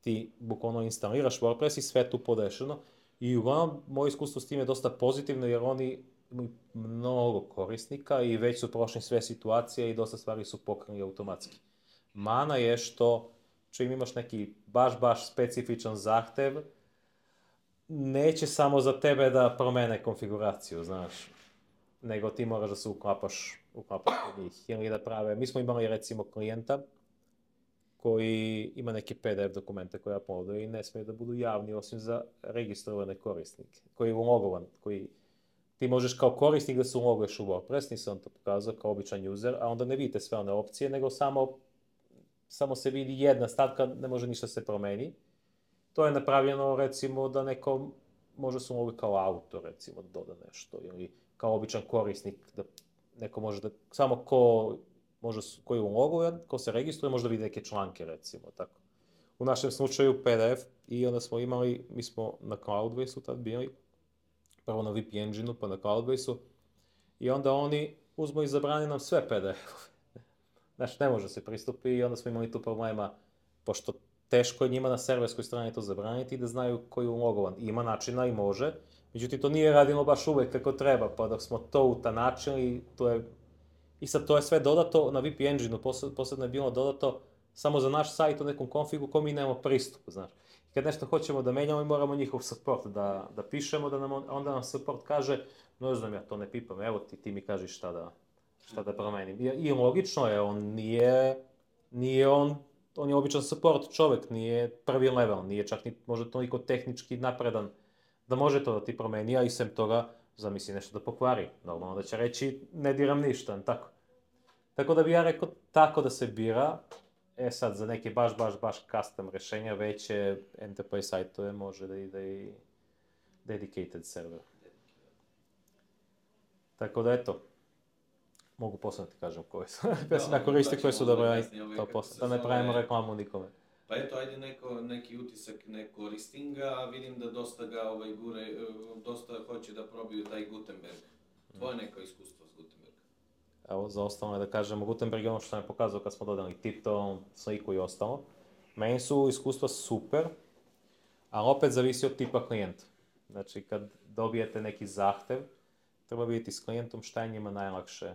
Ti bukvalno instaliraš WordPress i sve tu podešeno. I uglavnom, moje iskustvo s tim je dosta pozitivno jer oni imaju mnogo korisnika i već su prošli sve situacije i dosta stvari su pokrenuli automatski. Mana je što čim imaš neki baš specifičan zahtev, neće samo za tebe da promene konfiguraciju, znaš, nego ti moraš da se uklapaš u njih ili da prave. Mi smo imali recimo klijenta koji ima neke PDF dokumente koje uploaduje i ne smije da budu javni osim za registrovane korisnike, koji je ulogovan, koji ti možeš kao korisnik da se uloguješ u WordPress, nisam to pokazao kao običan user, a onda ne vidite sve one opcije, nego samo se vidi jedna stavka, ne može ništa se promeni. To je napravljeno recimo da neko može se ulogiti kao autor, recimo da doda nešto, ili kao običan korisnik, da neko može da, samo koji je ulogovan, ko se registruje, možda vidi neke članke, recimo, tako. U našem slučaju PDF i onda smo imali, mi smo na Cloudbase-u tad bili, prvo na VP Engine-u, pa na Cloudbase-u, i onda oni uzmu i zabrani nam sve PDF-ove. Znači, ne može se pristupi i onda smo imali tu problema, pošto teško je njima na serverskoj strani to zabraniti da znaju koji je ulogovan. Ima načina i može, međutim to nije radimo baš uvek kako treba, pa dok smo to utanačili, to je... I sad to je sve dodato na VP Engine-u, posebno je bilo dodato samo za naš sajt u nekom konfigu ko mi nemamo pristup, znaš. Kad nešto hoćemo da menjamo i moramo njihov support da pišemo, onda nam support kaže, no znam ja to ne pipam, evo ti mi kažeš šta da promenim. I logično je, on je običan support čovek, nije prvi level, nije čak ni možda toliko tehnički napredan da može to da ti promeni, a i sem toga zamisli nešto da pokvari. Normalno da će reći ne diram ništa, tako. Tako da bi ja rekao tako da se bira. Sad za neke baš custom rešenja, veće enterprise sajtove može da ide i dedicated server. Tako da eto, mogu posle ti kažem koje su. Ja sam ja koristi koje su dobro, to posle, da ne pravimo reklamu nikome. Pa eto, ajde neki utisak ne koristim ga, vidim da dosta ga gure, dosta hoće da probiju taj Gutenberg. Tvoje neko iskustvo s Gutenbergom? Evo, za ostalo je da kažemo, Gutenberg je ono što sam je pokazao kad smo dodali Tipton, sliku i ostalo. Meni su iskustva super, ali opet zavisi od tipa klijenta. Znači, kad dobijete neki zahtev, treba vidjeti s klijentom šta je njima najlakše,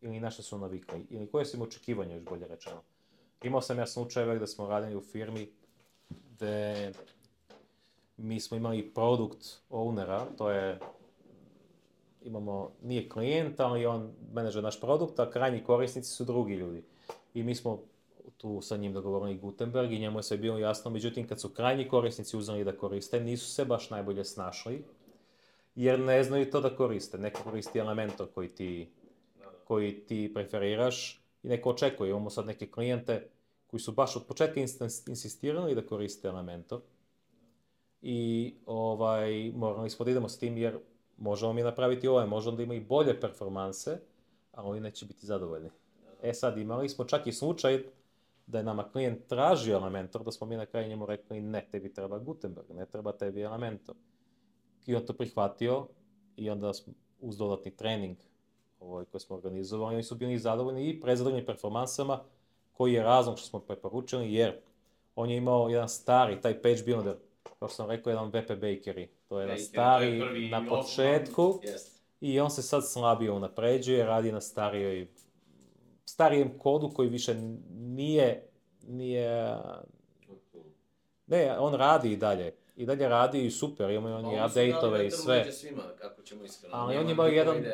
ili na što su navikli, ili koje su im očekivanja, još bolje rečeno. Imao sam ja slučajeve da smo radili u firmi gde mi smo imali produkt ownera, to je, nije klijent, ali on menadžer naš produkt, a krajnji korisnici su drugi ljudi. I mi smo tu sa njim dogovorili Gutenberg i njemu je sve bilo jasno, međutim kad su krajnji korisnici uzeli da koriste, nisu se baš najbolje snašli, jer ne znaju to da koriste. Neko koristi Elementor koji ti preferiraš i neko očekuje. Imamo sad neke klijente koji su baš od početka insistirali da koriste Elementor i morali smo da idemo s tim jer možemo mi napraviti možemo da ima i bolje performanse, ali oni neće biti zadovoljni. Sad imali smo čak i slučaj da je nama klijent tražio Elementor, da smo mi na kraju njemu rekli ne, tebi treba Gutenberg, ne treba tebi Elementor. I on to prihvatio i onda uz dodatni trening koji smo organizovali, oni su bili zadovoljni i prezadovoljni performansama, koji je razlog što smo preporučili, jer on je imao jedan stari, taj page builder, kao što sam rekao, jedan WP Bakery. To je jedan stari na početku i on se sad slabije unapređuje, radi na starijem kodu koji više nije... Ne, on radi i dalje. I dalje radi i super, imaju oni update-ove i sve. Među svima, kako ćemo iskreno. Ali on imao jedan...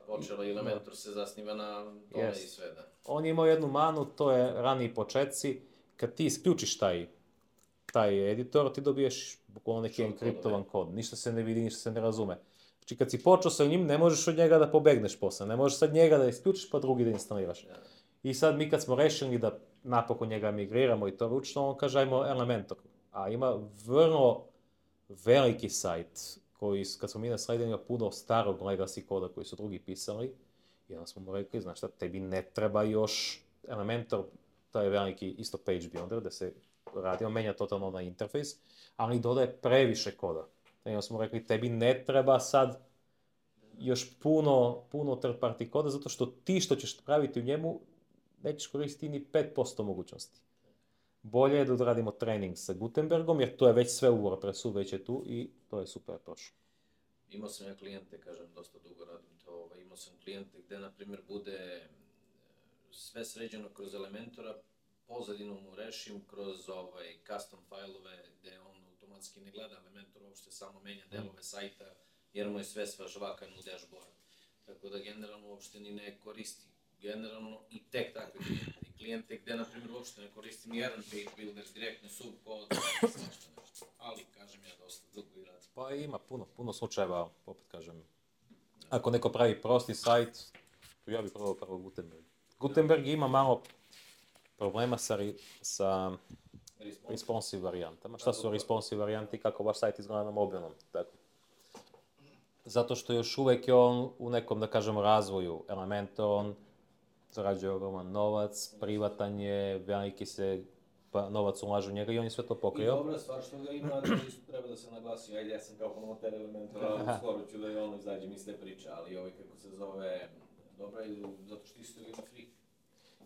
Počelo i Elementor se zasniva na tome i sve, da. On je imao jednu manu, to je raniji početci. Kad ti isključiš taj editor, ti dobiješ bukvalno neki enkriptovan kod. Ništa se ne vidi, ništa se ne razume. Znači kad si počeo sa njim, ne možeš od njega da pobegneš posle. Ne možeš sad njega da isključiš pa drugi da instaliraš. I sad mi kad smo rešili da napokon njega migriramo i to ručno, on kaže ajmo Elementor. A ima vrlo veliki sajt koji, kad smo mi nasledili, ima puno starog legacy koda koji su drugi pisali. I onda smo mu rekli, znaš šta, tebi ne treba još Elementor, to je veliki isto page builder, da se radi, on menja totalno na interfejs, ali dodaje previše koda. I onda smo rekli, tebi ne treba sad još puno third party koda, zato što ti što ćeš praviti u njemu, nećeš koristiti ni 5% mogućnosti. Bolje je da odradimo trening sa Gutenbergom, jer to je već sve u WordPressu, već je tu i to je super prošlo. Imao sam ja klijente, kažem, dosta dugo radim to, imao sam klijente gde, na primjer, bude sve sređeno kroz Elementora, pozadinu mu rešim kroz custom fajlove gde on automatski ne gleda Elementor, uopšte samo menja delove sajta, jer mu je sve svažvakano u dashboard. Tako da generalno uopšte ni ne koristi. Generalno i tek takve klijente. I klijente gde, na primjer, uopšte ne koristim jedan page builder, direktno subkod, svašta nešto. Ali, kažem ja, dosta dugo i radim. Pa ima puno slučajeva, opet kažem. Ako neko pravi prosti sajt, ja bih probao prvo Gutenberg. Gutenberg ima malo problema sa responsive varijantama. Šta su responsive varijanti, kako vaš sajt izgleda na mobilnom. Zato što još uvek je on u nekom, da kažemo, razvoju Elementor, on zarađuje ogroman novac, privatan je, veliki se novac ulaže u njega i on je sve to pokrio. I dobra stvar što ga ima, da isto treba da se naglasi, ajde ja sam kao promoter Elementora, skoro ću da i ono izađem iz te priče, ali kako se zove, dobra je zato što isto ima free.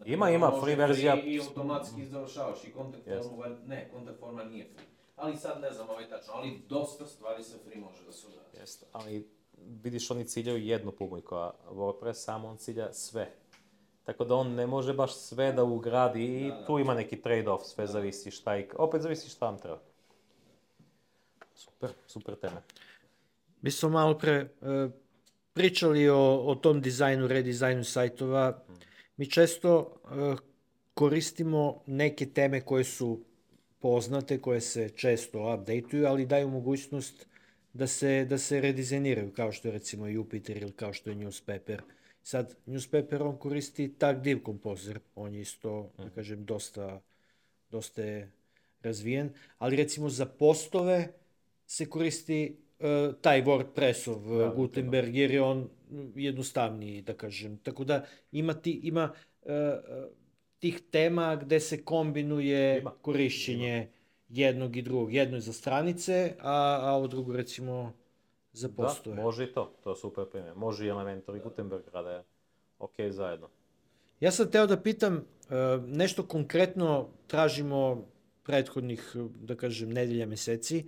Ima free verzija. I automatski završavaš i kontakt forma, ne, kontakt forma nije free. Ali sad ne znam tačno, ali dosta stvari sa free može da se uradi. Jeste, ali vidiš oni ciljaju jednu publiku, a WordPress samo on cilja sve. Tako da on ne može baš sve da ugradi i tu ima neki trade-off, sve zavisi šta i... Opet zavisi šta vam treba. Super teme. Mi smo malo pre pričali o tom dizajnu, redizajnu sajtova. Mi često koristimo neke teme koje su poznate, koje se često updateuju, ali daju mogućnost da se redizajniraju, kao što je recimo Jupiter ili kao što je Newspaper. Sad, Newspaper, on koristi Tag Div Composer, on je isto, da kažem, dosta je razvijen, ali recimo za postove se koristi taj WordPressov Gutenberg, jer je on jednostavniji, da kažem. Tako da ima tih tema gde se kombinuje korišćenje jednog i drugog. Jedno je za stranice, a ovo drugo recimo za postove. Da, može i to je super primjer. Može i Elementor i Gutenberg rade ok zajedno. Ja sam teo da pitam, nešto konkretno tražimo prethodnih, da kažem, nedelja, meseci,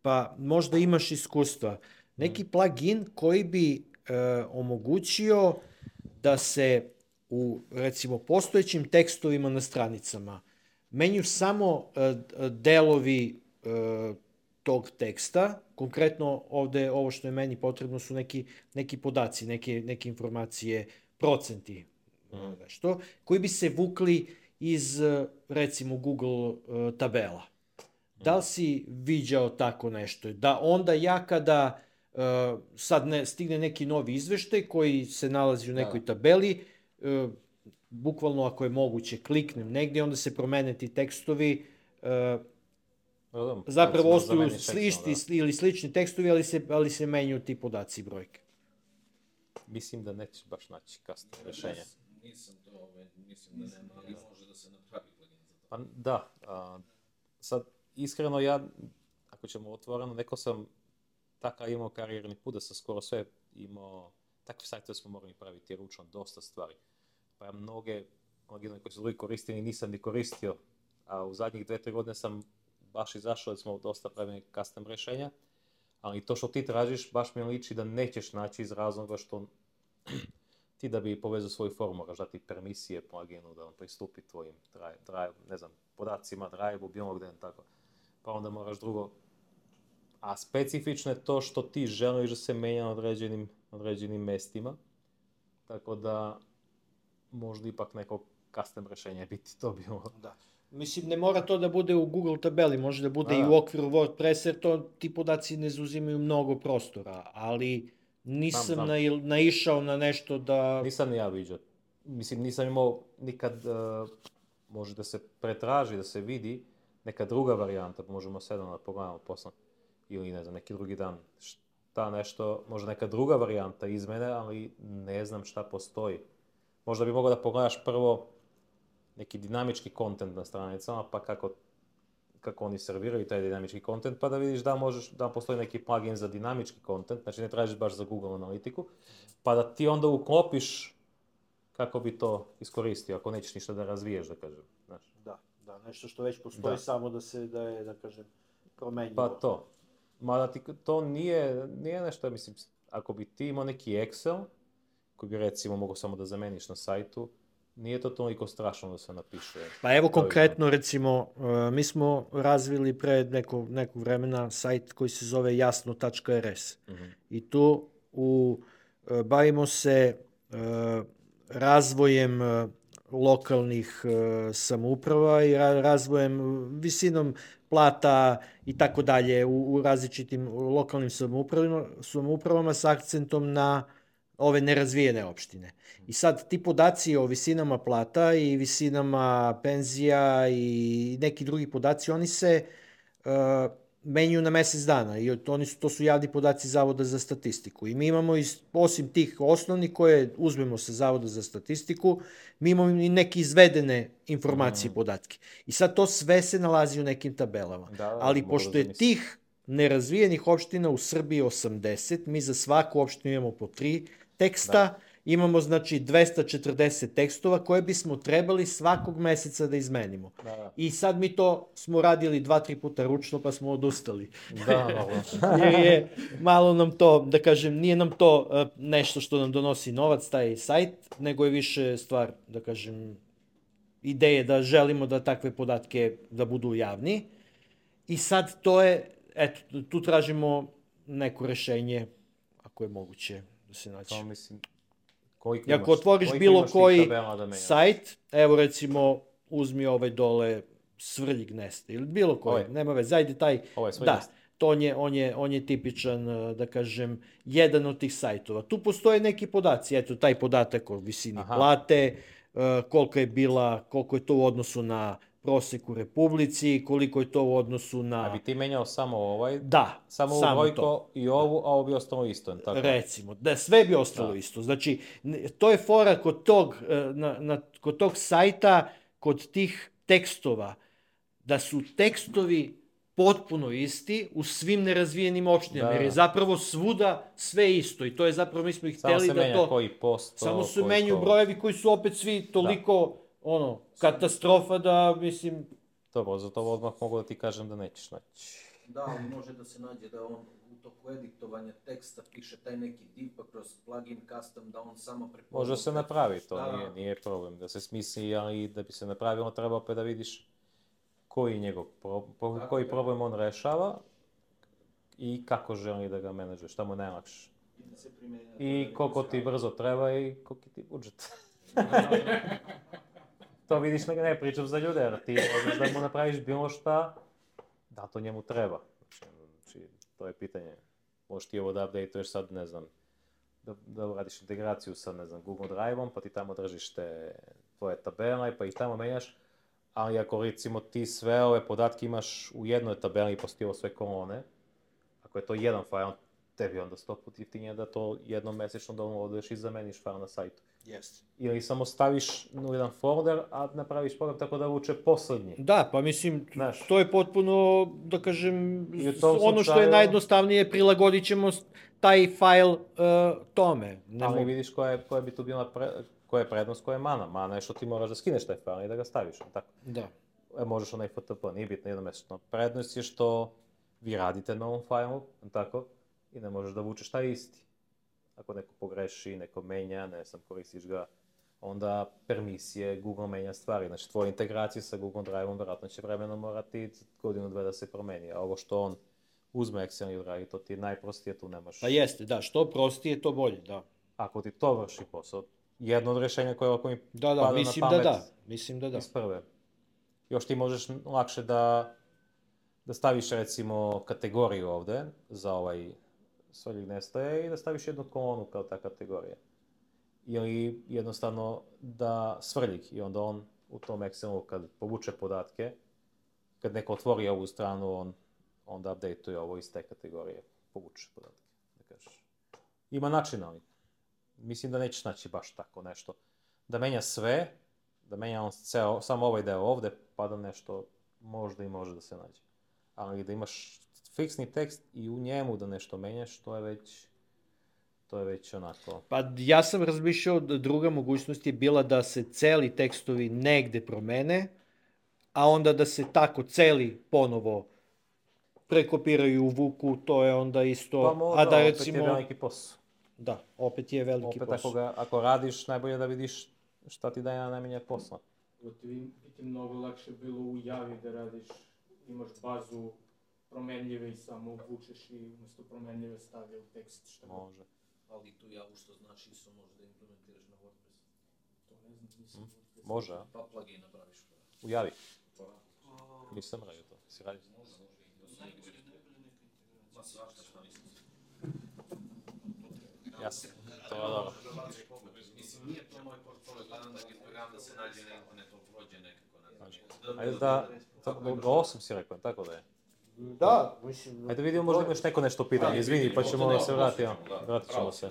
pa možda imaš iskustva. Neki plugin koji bi omogućio da se u, recimo, postojećim tekstovima na stranicama menjaju samo delovi tog teksta. Konkretno ovde, ovo što je meni potrebno su neki podaci, neke informacije, procenti, nešto, koji bi se vukli iz, recimo, Google tabela. Da li si viđao tako nešto? Da onda ja kada sad stigne neki novi izveštaj koji se nalazi u nekoj tabeli, bukvalno ako je moguće kliknem negdje, onda se promene ti tekstovi, zapravo ostaju isti ili slični tekstovi, ali se menjaju ti podaci i brojke. Mislim da nećeš baš naći custom rješenje. Nisam to, mislim da nema, ali može da se napravi plugin za to. Pa da, sad iskreno ja, ako ćemo otvoreno, neko sam takav imao karijerni put da sam skoro sve imao, takve sajtove smo morali praviti ručno, dosta stvari. Pa ja mnoge plugine koji su drugi koristili nisam ni koristio, a u zadnjih 2-3 godine sam baš izašao da smo dosta pravili custom rješenja, ali to što ti tražiš baš mi liči da nećeš naći iz razloga što ti da bi povezao svoju formu moraš dati permisije pluginu da on pristupi tvojim drive, ne znam, podacima, drive-u, bilo gdje, tako. Pa onda moraš drugo. A specifično je to što ti želiš da se menja na određenim mestima, tako da možda ipak neko custom rješenje biti to bilo. Da. Mislim, ne mora to da bude u Google tabeli, može da bude i u okviru WordPressa, jer ti podaci ne zauzimaju mnogo prostora, ali nisam naišao na nešto da... Nisam ni ja viđao. Mislim, nisam imao nikad, može da se pretraži, da se vidi neka druga varijanta, možemo sedam da pogledamo posle, ili ne znam, neki drugi dan, šta nešto, možda neka druga varijanta izmene, ali ne znam šta postoji. Možda bi mogao da pogledaš prvo neki dinamički kontent na stranicama, pa kako oni serviraju taj dinamički kontent, pa da vidiš da postoji neki plugin za dinamički kontent, znači ne tražiš baš za Google analitiku, pa da ti onda uklopiš kako bi to iskoristio, ako nećeš ništa da razviješ, da kažem. Znači. Da, nešto što već postoji, samo da je, da kažem, promenjivo. Pa to. Mada to nije nešto, mislim, ako bi ti imao neki Excel, koji bi recimo mogao samo da zameniš na sajtu, nije to toliko strašno da se napiše. Pa evo konkretno, recimo, mi smo razvili pre nekog vremena sajt koji se zove jasno.rs. I tu bavimo se razvojem lokalnih samouprava i razvojem, visinom plata i tako dalje u različitim lokalnim samoupravama s akcentom na ove nerazvijene opštine. I sad ti podaci o visinama plata i visinama penzija i neki drugi podaci, oni se menjuju na mesec dana i to su javni podaci Zavoda za statistiku. I mi imamo, osim tih osnovnih koje uzmemo sa Zavoda za statistiku, mi imamo i neke izvedene informacije i podatke. I sad to sve se nalazi u nekim tabelama. Ali pošto je tih nerazvijenih opština u Srbiji 80, mi za svaku opštinu imamo po 3 teksta imamo znači 240 tekstova koje bismo trebali svakog meseca da izmenimo. I sad mi to smo radili 2-3 puta ručno pa smo odustali. Jer je malo nam to, da kažem, nije nam to nešto što nam donosi novac, taj sajt, nego je više stvar, da kažem, ideje da želimo da takve podatke da budu javni. I sad to je, eto, tu tražimo neko rešenje, ako je moguće da se naći. To mislim, ako otvoriš bilo koji sajt, evo recimo, uzmi ovaj dole Svrljig Nesta, ili bilo koji, nema veze, ajde taj, da, to on je tipičan, da kažem, jedan od tih sajtova. Tu postoje neki podaci, eto, taj podatak o visini plate, koliko je to u odnosu na prosek u Republici, koliko je to u odnosu na... A bi ti menjao samo ovaj? Da, samo ovu brojko i ovu, a ovo bi ostalo isto, tako? Recimo, da sve bi ostalo isto. Znači, to je fora kod tog sajta, kod tih tekstova, da su tekstovi potpuno isti u svim nerazvijenim opštinama, jer je zapravo svuda sve isto i to je zapravo, mi smo ih hteli da to... Samo se menja koji posto... Samo se menjaju brojevi koji su opet svi toliko, katastrofa da, mislim... Dobro, za to odmah mogu da ti kažem da nećeš naći. Da, ali može da se nađe da on u toku editovanja teksta piše taj neki div, pa kroz plugin custom da on samo prepoznao... Može se napravi, to nije problem da se smisli, ali da bi se napravilo treba opet da vidiš koji problem on rešava i kako želi da ga menadžuje, šta mu je najlakše. I koliko ti brzo treba i koliko ti budžet. To vidiš, ne pričam za ljude, jer ti možeš da mu napraviš bilo šta, da to njemu treba. Znači, to je pitanje. Možeš ti ovo da updateuješ sad, ne znam, da uradiš integraciju sa, ne znam, Google Drive-om, pa ti tamo držiš te tvoje tabele, pa ih tamo menjaš. Ali ako recimo ti sve ove podatke imaš u jednoj tabeli i postoji sve kolone, ako je to jedan fajl, tebi onda 100 puta jeftinije da to jednom mesečno downloaduješ i zameniš fajl na sajtu. Ili samo staviš u jedan folder, a napraviš program tako da vuče poslednji. Da, pa mislim, to je potpuno, da kažem, ono što je najjednostavnije, prilagodit ćemo taj fajl tome. Ali vidiš koja bi tu bila koja je prednost, koja je mana. Mana je što ti moraš da skineš taj fajl i da ga staviš, tako? Da. Možeš onaj FTP, nije bitno jednomesečno. Prednost je što vi radite na ovom fajlu, tako? I ne možeš da vučeš taj isti. Ako neko pogreši, neko menja, ne znam, koristiš ga, onda permisije, Google menja stvari. Znači, tvoje integracije sa Google Drive-om vjerojatno će vremenom morati godinu, dve da se promeni. A ovo što on uzme Excel i uradi, to ti je najprostije, tu nemaš... Pa jeste, da, što prostije, to bolje, da. Ako ti to vrši posao, jedno od rješenja koje ovako mi pada na pamet mislim da da. Iz prve. Još ti možeš lakše da staviš recimo kategoriju ovde za ovaj Svrljig Nesta i da staviš jednu kolonu kao ta kategorija. Ili jednostavno da Svrljig i onda on u tom Excelu kad povuče podatke, kad neko otvori ovu stranu, on onda updateuje ovo iz te kategorije, povuče podatke, da kažeš. Ima načina, ali mislim da nećeš naći baš tako nešto. Da menja sve, da menja on samo ovaj deo ovde, pa da nešto možda i može da se nađe. Ali da imaš fiksni tekst i u njemu da nešto menjaš, to je već onako... Pa ja sam razmišljao da druga mogućnost je bila da se celi tekstovi negde promene, a onda da se tako celi ponovo prekopiraju u Vuku, to je onda isto... Pa možda, opet je veliki posao. Da, opet je veliki posao. Opet ako radiš, najbolje da vidiš šta ti daje najmanje posla. Ti mnogo lakše bilo u Javi da radiš, imaš bazu promenljive i samo vučeš i umjesto promenljive stavlja u tekst što može. Ali tu Javu što znaš ISO može da implementiraš na WordPress. To ne znam, nisam WordPress. Može, a? Pa plugin napraviš. U Javi? Nisam radio to, si radio? Ma svašta što nisam. Jasno, to je dobro. Mislim, nije to moj portfolio, gledam da program da se nađe na internetu, prođe nekako, ne znam. Ajde da, do 8 si rekao, tako da je? Da, mislim... Ajde vidimo, možda imaš neko nešto pitanje, izvini, pa ćemo da se vratimo. Vratit ćemo se.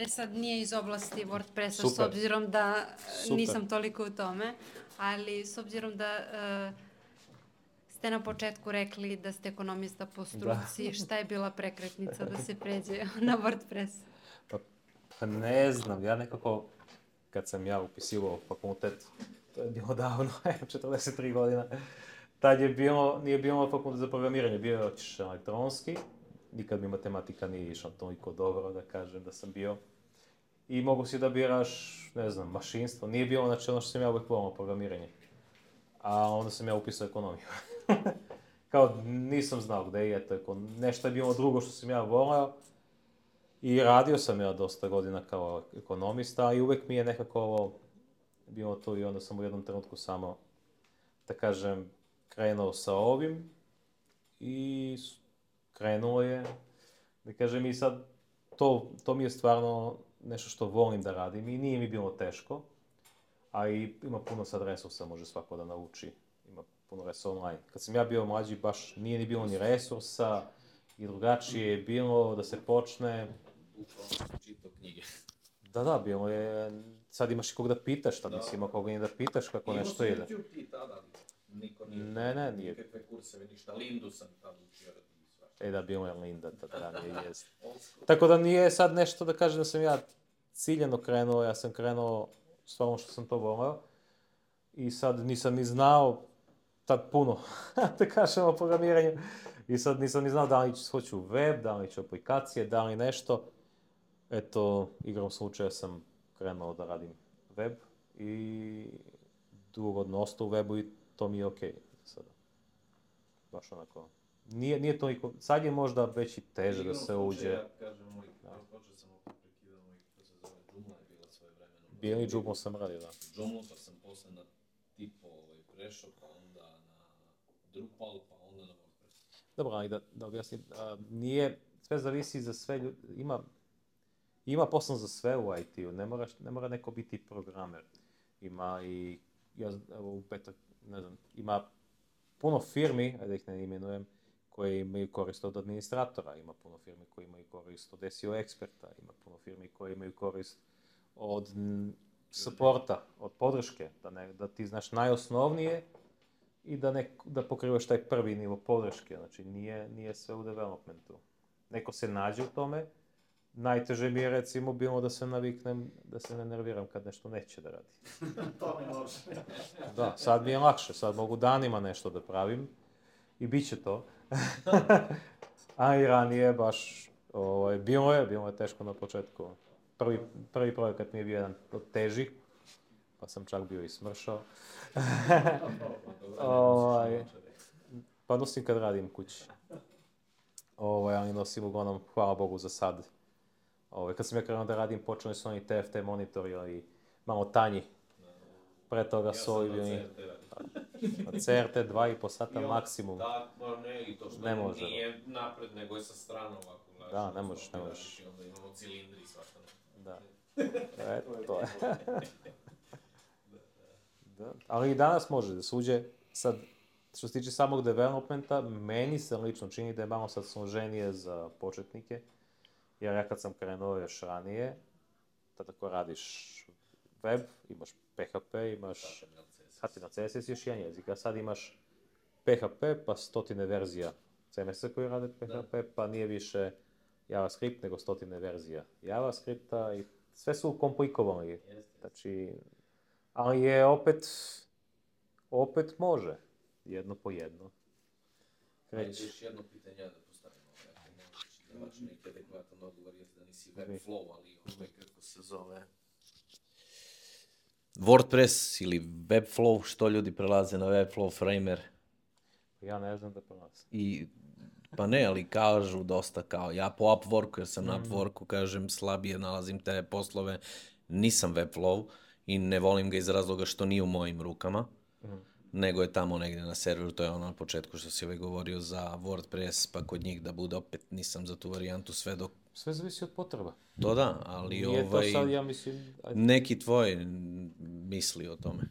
Sad nije iz oblasti WordPressa, s obzirom da nisam toliko u tome, ali s obzirom da ste na početku rekli da ste ekonomista po struci. Šta je bila prekretnica da se pređe na WordPress? Pa ne znam, ja nekako, kad sam ja upisivao fakultet, to je bilo davno, 43 godina, tad nije bilo fakultet za programiranje, bio je otišao elektronski, nikad mi matematika nije išla toliko dobro, da kažem da sam bio. I mogu si da biraš, ne znam, mašinstvo, nije bilo znači ono što sam ja uvijek volao programiranje. A onda sam ja upisao ekonomiju. Kao nisam znao gdje je to, nešto je bilo drugo što sam ja volao. I radio sam ja dosta godina kao ekonomista i uvijek mi je nekako ovo bilo to i onda sam u jednom trenutku samo, da kažem, krenuo sa ovim i krenuo je, da kažem i sad to mi je stvarno nešto što volim da radim i nije mi bilo teško, a i ima puno sad resursa, može svako da nauči, ima puno resursa online. Kad sam ja bio mlađi baš nije ni bilo ni resursa i drugačije je bilo da se počne. Bukvalno sam čitao knjige. Da, bilo je, sad imaš i kog da pitaš, tad nisi imao koga ni da pitaš kako nešto ide. Imao sam YouTube ti tada, niko nije. Ne, nije. Nikakve kurseve, ništa, Lindu sam tada učio. Da, bilo je Linda, tada nije jest. Tako da nije sad nešto da kažem da sam ja ciljeno krenuo, ja sam krenuo s ono što sam to voleo. I sad nisam ni znao tad puno, da kažem o programiranju. I sad nisam ni znao da li hoću web, da li ću aplikacije, da li nešto. Eto, igrom slučaja sam krenuo da radim web i dugodno ostao u webu i to mi je okej sada. Baš onako. Nije toliko, sad je možda već i teže da se uđe. Ja kažem, počeo sam opet prekidao to se zove Joomla je bila svoje vremeno. Bijeli Joomla sam radio, da. Joomla pa sam posle na tipo prešao, pa onda na Drupal, pa onda na WordPress. Dobro, ali da objasnim, nije, sve zavisi za sve ljudi, ima posao za sve u IT-u, ne mora neko biti programer. Ima i, u petak, ne znam, ima puno firmi, da ih ne imenujem, koje imaju korist od administratora, ima puno firmi koje imaju korist od SEO eksperta, ima puno firmi koje imaju korist od supporta, od podrške, da ti znaš najosnovnije i da pokrivaš taj prvi nivo podrške, znači nije sve u developmentu. Neko se nađe u tome, najteže mi je recimo bilo da se naviknem, da se ne nerviram kad nešto neće da radi. To ne može. Da, sad mi je lakše, sad mogu danima nešto da pravim i bit će to. A i ranije baš, bilo je teško na početku. Prvi projekat mi je bio jedan od težih, pa sam čak bio i smršao. Pa nosim kad radim kući. Ali nosim uglavnom, hvala Bogu za sad. Kad sam ja krenuo da radim, počeli su oni TFT monitori ili malo tanji. Pre toga su ovi bili na CRT 2,5 sata maksimum. Da, ne, i to što nije napred, nego je sa strane ovako. Da, ne možeš. I onda imamo cilindri i svašta. Da. To je. Ali i danas može da se uđe, sad, što se tiče samog developmenta, meni se lično čini da je malo sad složenije za početnike, jer ja kad sam krenuo još ranije, tad ako radiš web, imaš PHP, imaš HTML, CSS, još jedan jezik, a sad imaš PHP pa stotine verzija CMS-a koji rade PHP, pa nije više JavaScript nego stotine verzija JavaScripta i sve su komplikovani. Znači, ali je opet može, jedno po jedno. Ajde, još jedno pitanje da postavimo. Znači, neki adekvatan odgovor je da nisi Webflow, ali kako se zove WordPress ili Webflow, što ljudi prelaze na Webflow Framer? Ja ne znam da prelaze. Pa ne, ali kažu dosta kao, ja po Upworku, jer sam na Upworku, kažem, slabije nalazim te poslove, nisam Webflow i ne volim ga iz razloga što nije u mojim rukama, nego je tamo negdje na serveru, to je ono na početku što si ovaj govorio za WordPress, pa kod njih da bude opet, nisam za tu varijantu sve dok... Sve zavisi od potreba. To da, ali sad, ja mislim... neki tvoj misli o tome.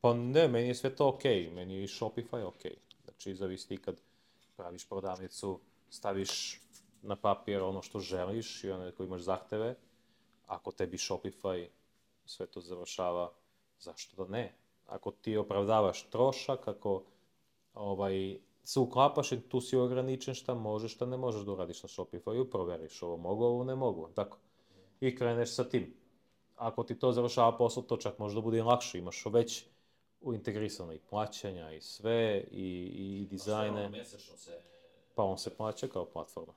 Pa ne, meni je sve to okej, meni je i Shopify okej. Znači, zavisi ti kad praviš prodavnicu, staviš na papir ono što želiš i ono koji imaš zahteve, ako tebi Shopify sve to završava, zašto da ne? Ako ti opravdavaš trošak, ako se uklapaš i tu si ograničen šta možeš, šta ne možeš da uradiš na Shopify, proveriš ovo mogu, ovo ne mogu, tako. I kreneš sa tim. Ako ti to završava posao, to čak može da bude i lakše, imaš već integrisano i plaćanja i sve, i dizajne. Mesečno se... Pa on se plaća kao platforma.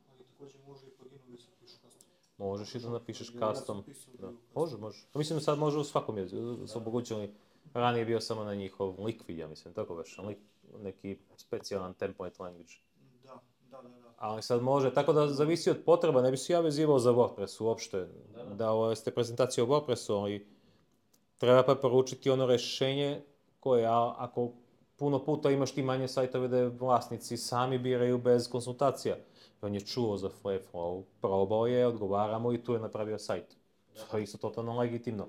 Ali također može i pluginu da se piše custom. Možeš i da napišeš custom. Da. Može. Mislim da sad može u svakom jeziku, su omogućili. Ranije je bio samo na njihov Liquid, ja mislim, tako već, neki specijalan template language. Da. Ali sad može, tako da zavisi od potreba, ne bi se ja vezivao za WordPress uopšte, da ste prezentacije o WordPressu, ali treba pa poručiti ono rješenje koje, ako puno puta imaš ti manje sajtove da vlasnici sami biraju bez konsultacija. On je čuo za Flyflow, probao je, odgovaramo i tu je napravio sajt. To je isto totalno legitimno.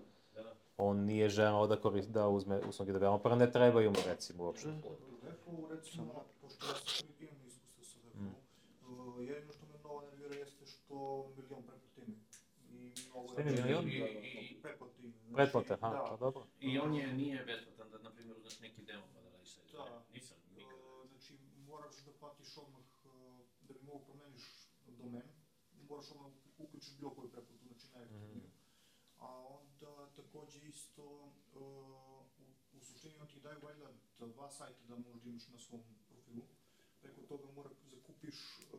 On nije želao da uzme usluge developera, ne trebaju mu recimo uopšte. Webflow, recimo, pošto ja sam imam iskustva sa Webflow, jedino što me mnogo nervira jeste što milion pretplate ima. Pretplate, pa dobro. I on nije besplatan, da, na primjer, uzmeš neki demo pa da radiš sajt. Nisam nikad. Znači, moraš da platiš odmah, da bi mogu promeniš domen, moraš odmah uključiš bilo koju pretplatu, znači najeftiniju. A onda također isto, u suštini on ti daju valjda 2 sajta da možda imaš na svom profilu. Preko toga zakupiš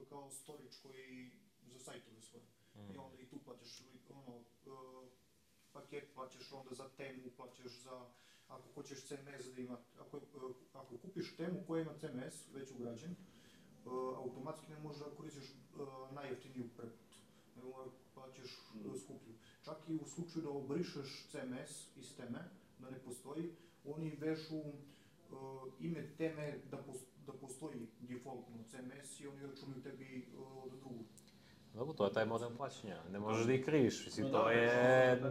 kao storage koji za sajtove svoje. I onda i tu plaćaš paket, plaćaš onda za temu, plaćaš za, ako hoćeš CMS da ima, ako kupiš temu koja ima CMS već ugrađen, automatski ne možeš da koristiš najjeftiniju pretplatu, nego plaćaš skuplju. Čak i u slučaju da obrišeš CMS iz teme, da ne postoji, oni vežu ime teme da postoji defaultno CMS i oni računaju tebi od drugu. Dobro, to je taj model plaćanja, ne možeš da ih kriviš, mislim, to je...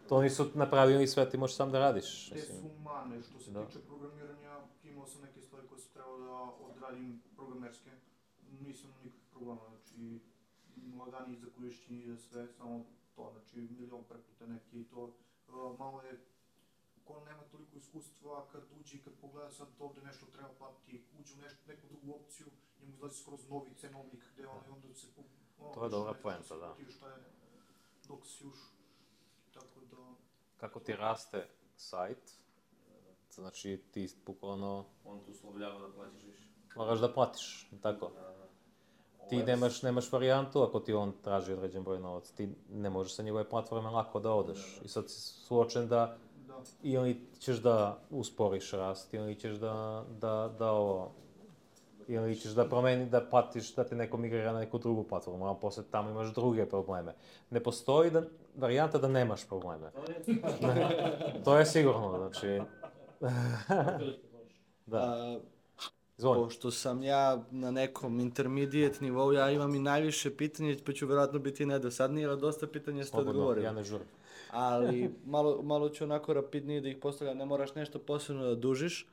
To nisu napravili sve, ti možeš sam da radiš. Te su mane, što se tiče programiranja, imao sam neke stvari koje sam trebao da odradim programerske, nisam nikakvih problema, znači lagani za korišćenje i za sve, samo to, znači milion pretplate neki i to, malo je, ko nema toliko iskustva, kad uđe i kad pogleda sad ovdje nešto treba platiti, uđe u neku drugu opciju, njemu izlazi skroz novi cenovnik gdje onda se... To je dobra poenta, da. Dok si još, tako da... Kako ti raste sajt, znači ti bukvalno... On tu uslovljava da plaćaš više. Moraš da platiš, tako. Ti nemaš varijantu ako ti on traži određen broj novac, ti ne možeš sa njegove platforme lako da odeš. I sad si suočen da ili ćeš da usporiš rast, ili ćeš ili ćeš da promeni, da platiš, da ti neko migrira na neku drugu platformu, a poslije tamo imaš druge probleme. Ne postoji varijanta da nemaš probleme. To je sigurno, znači... Da. Pošto sam ja na nekom intermediate nivou, ja imam i najviše pitanja, pa ću vjerojatno biti nedosadniji, ali dosta pitanja ste odgovorili. Ja ne žurim. Ali malo ću onako rapidnije da ih postavljam, ne moraš nešto posebno da dužiš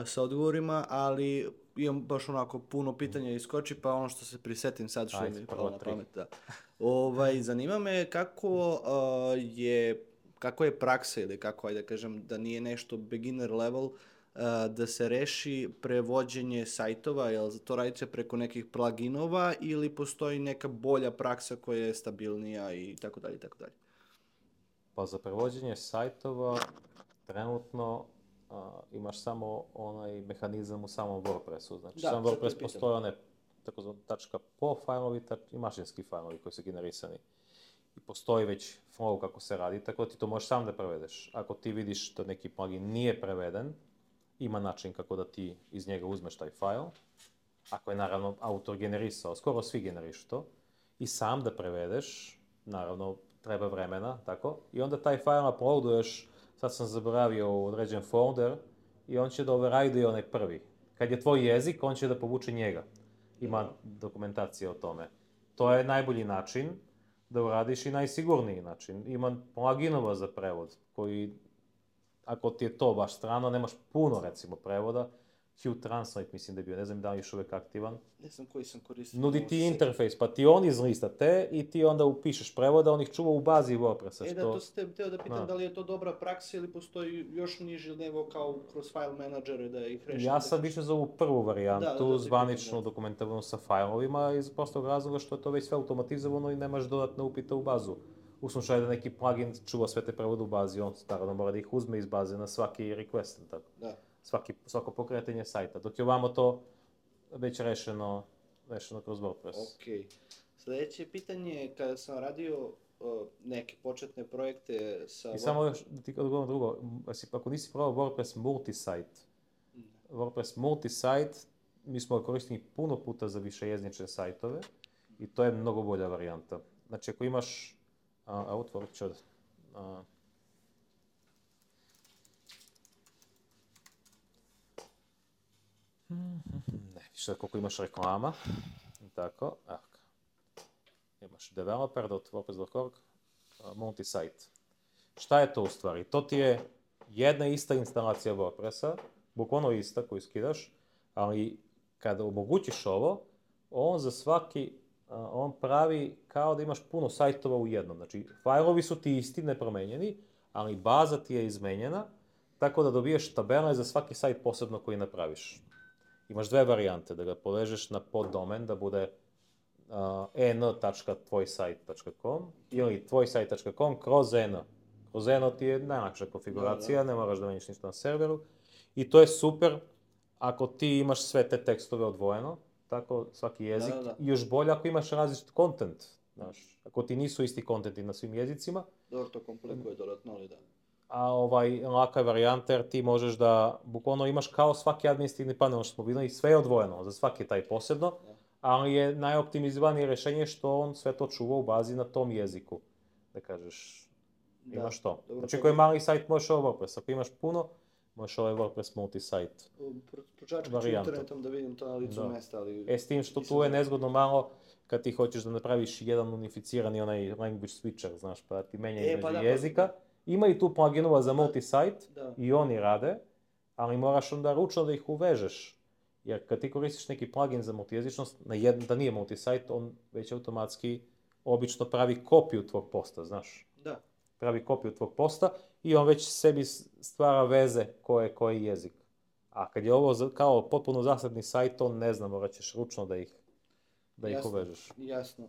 sa odgovorima, ali imam baš onako puno pitanja iskoči, pa ono što se prisetim sad što mi je palo na pamet. Zanima me kako je praksa ili kako, ajde da kažem, da nije nešto beginner level, da se reši prevođenje sajtova, jel to radite preko nekih pluginova ili postoji neka bolja praksa koja je stabilnija i tako dalje, tako dalje? Pa za prevođenje sajtova trenutno imaš samo onaj mehanizam u samom WordPressu. Znači sam WordPress postoje one takozvani .po fajlovi i mašinski fajlovi koji su generisani. I postoji već flow kako se radi, tako da ti to možeš sam da prevedeš. Ako ti vidiš da neki plugin nije preveden, ima način kako da ti iz njega uzmeš taj fajl. Ako je naravno autor generisao, skoro svi generišu to, i sam da prevedeš, naravno treba vremena, tako, i onda taj fajl uploaduješ, sad sam zaboravio u određen folder, i on će da override onaj prvi. Kad je tvoj jezik, on će da povuče njega. Ima dokumentacija o tome. To je najbolji način da uradiš i najsigurniji način. Ima pluginova za prevod, koji, ako ti je to baš strano, nemaš puno, recimo, prevoda, Q-Translate mislim da je bio, ne znam da li je još uvijek aktivan. Ne znam koji sam koristio. Nudi ti interfejs, pa ti on izlista te i ti onda upišeš prevoda, on ih čuva u bazi WordPressa. Da, to ste htio da pitam da li je to dobra praksa ili postoji još niži nego kao kroz file menadžere da ih rešite. Ja sam više za ovu prvu varijantu, zvaničnu dokumentovanu sa failovima iz prostog razloga što je to već sve automatizovano i nemaš dodatne upite u bazu. U slučaju da neki plugin čuva sve te prevode u bazi, on naravno mora da ih uzme iz baze na svaki request, tako. Da. Svako pokretanje sajta, dok je ovamo to već rešeno kroz WordPress. Ok. Sljedeće pitanje, kada sam radio neke početne projekte sa... I samo još da ti odgovorim drugo, ako nisi probao WordPress multisite, WordPress multisite, mi smo ga koristili puno puta za višejezične sajtove i to je mnogo bolja varijanta. Znači ako imaš, otvorit ću ne, više koliko imaš reklama, tako, imaš developer.wordpress.org, multisite. Šta je to u stvari? To ti je jedna ista instalacija WordPressa, bukvalno ista koju skidaš, ali kada omogućiš ovo, on pravi kao da imaš puno sajtova u jednom. Znači, fajlovi su ti isti, nepromenjeni, ali baza ti je izmenjena, tako da dobiješ tabele za svaki sajt posebno koji napraviš. Imaš dve varijante, da ga povežeš na poddomen, da bude en.tvojsite.com ili tvojsite.com kroz en. Kroz en ti je najlakša konfiguracija, ne moraš da menjaš ništa na serveru. I to je super ako ti imaš sve te tekstove odvojeno, tako svaki jezik. I još bolje ako imaš različit content. Ako ti nisu isti contenti na svim jezicima. Dobro, to komplikuje dodatno, ali da. A laka je varijanta jer ti možeš da bukvalno imaš kao svaki administrativni panel što smo vidjeli, sve je odvojeno, za svaki taj posebno, ali je najoptimizovanije rješenje što on sve to čuva u bazi na tom jeziku. Da kažeš, imaš to. Znači ako je mali sajt možeš ovo WordPress, ako imaš puno, možeš ovaj WordPress multisite Pročačkat ću internetom da vidim to na licu mesta, ali... S tim što tu je nezgodno malo kad ti hoćeš da napraviš jedan unificirani onaj language switcher, znaš, pa ti menja između jezika. Ima i tu pluginova za multisite i oni rade, ali moraš onda ručno da ih uvežeš. Jer kad ti koristiš neki plugin za multijezičnost, da nije multisite, on već automatski obično pravi kopiju tvog posta, znaš. Da. Pravi kopiju tvog posta i on već sebi stvara veze koji jezik. A kad je ovo kao potpuno zasebni sajt, on ne znam, morat ćeš ručno da ih uvežeš. Jasno.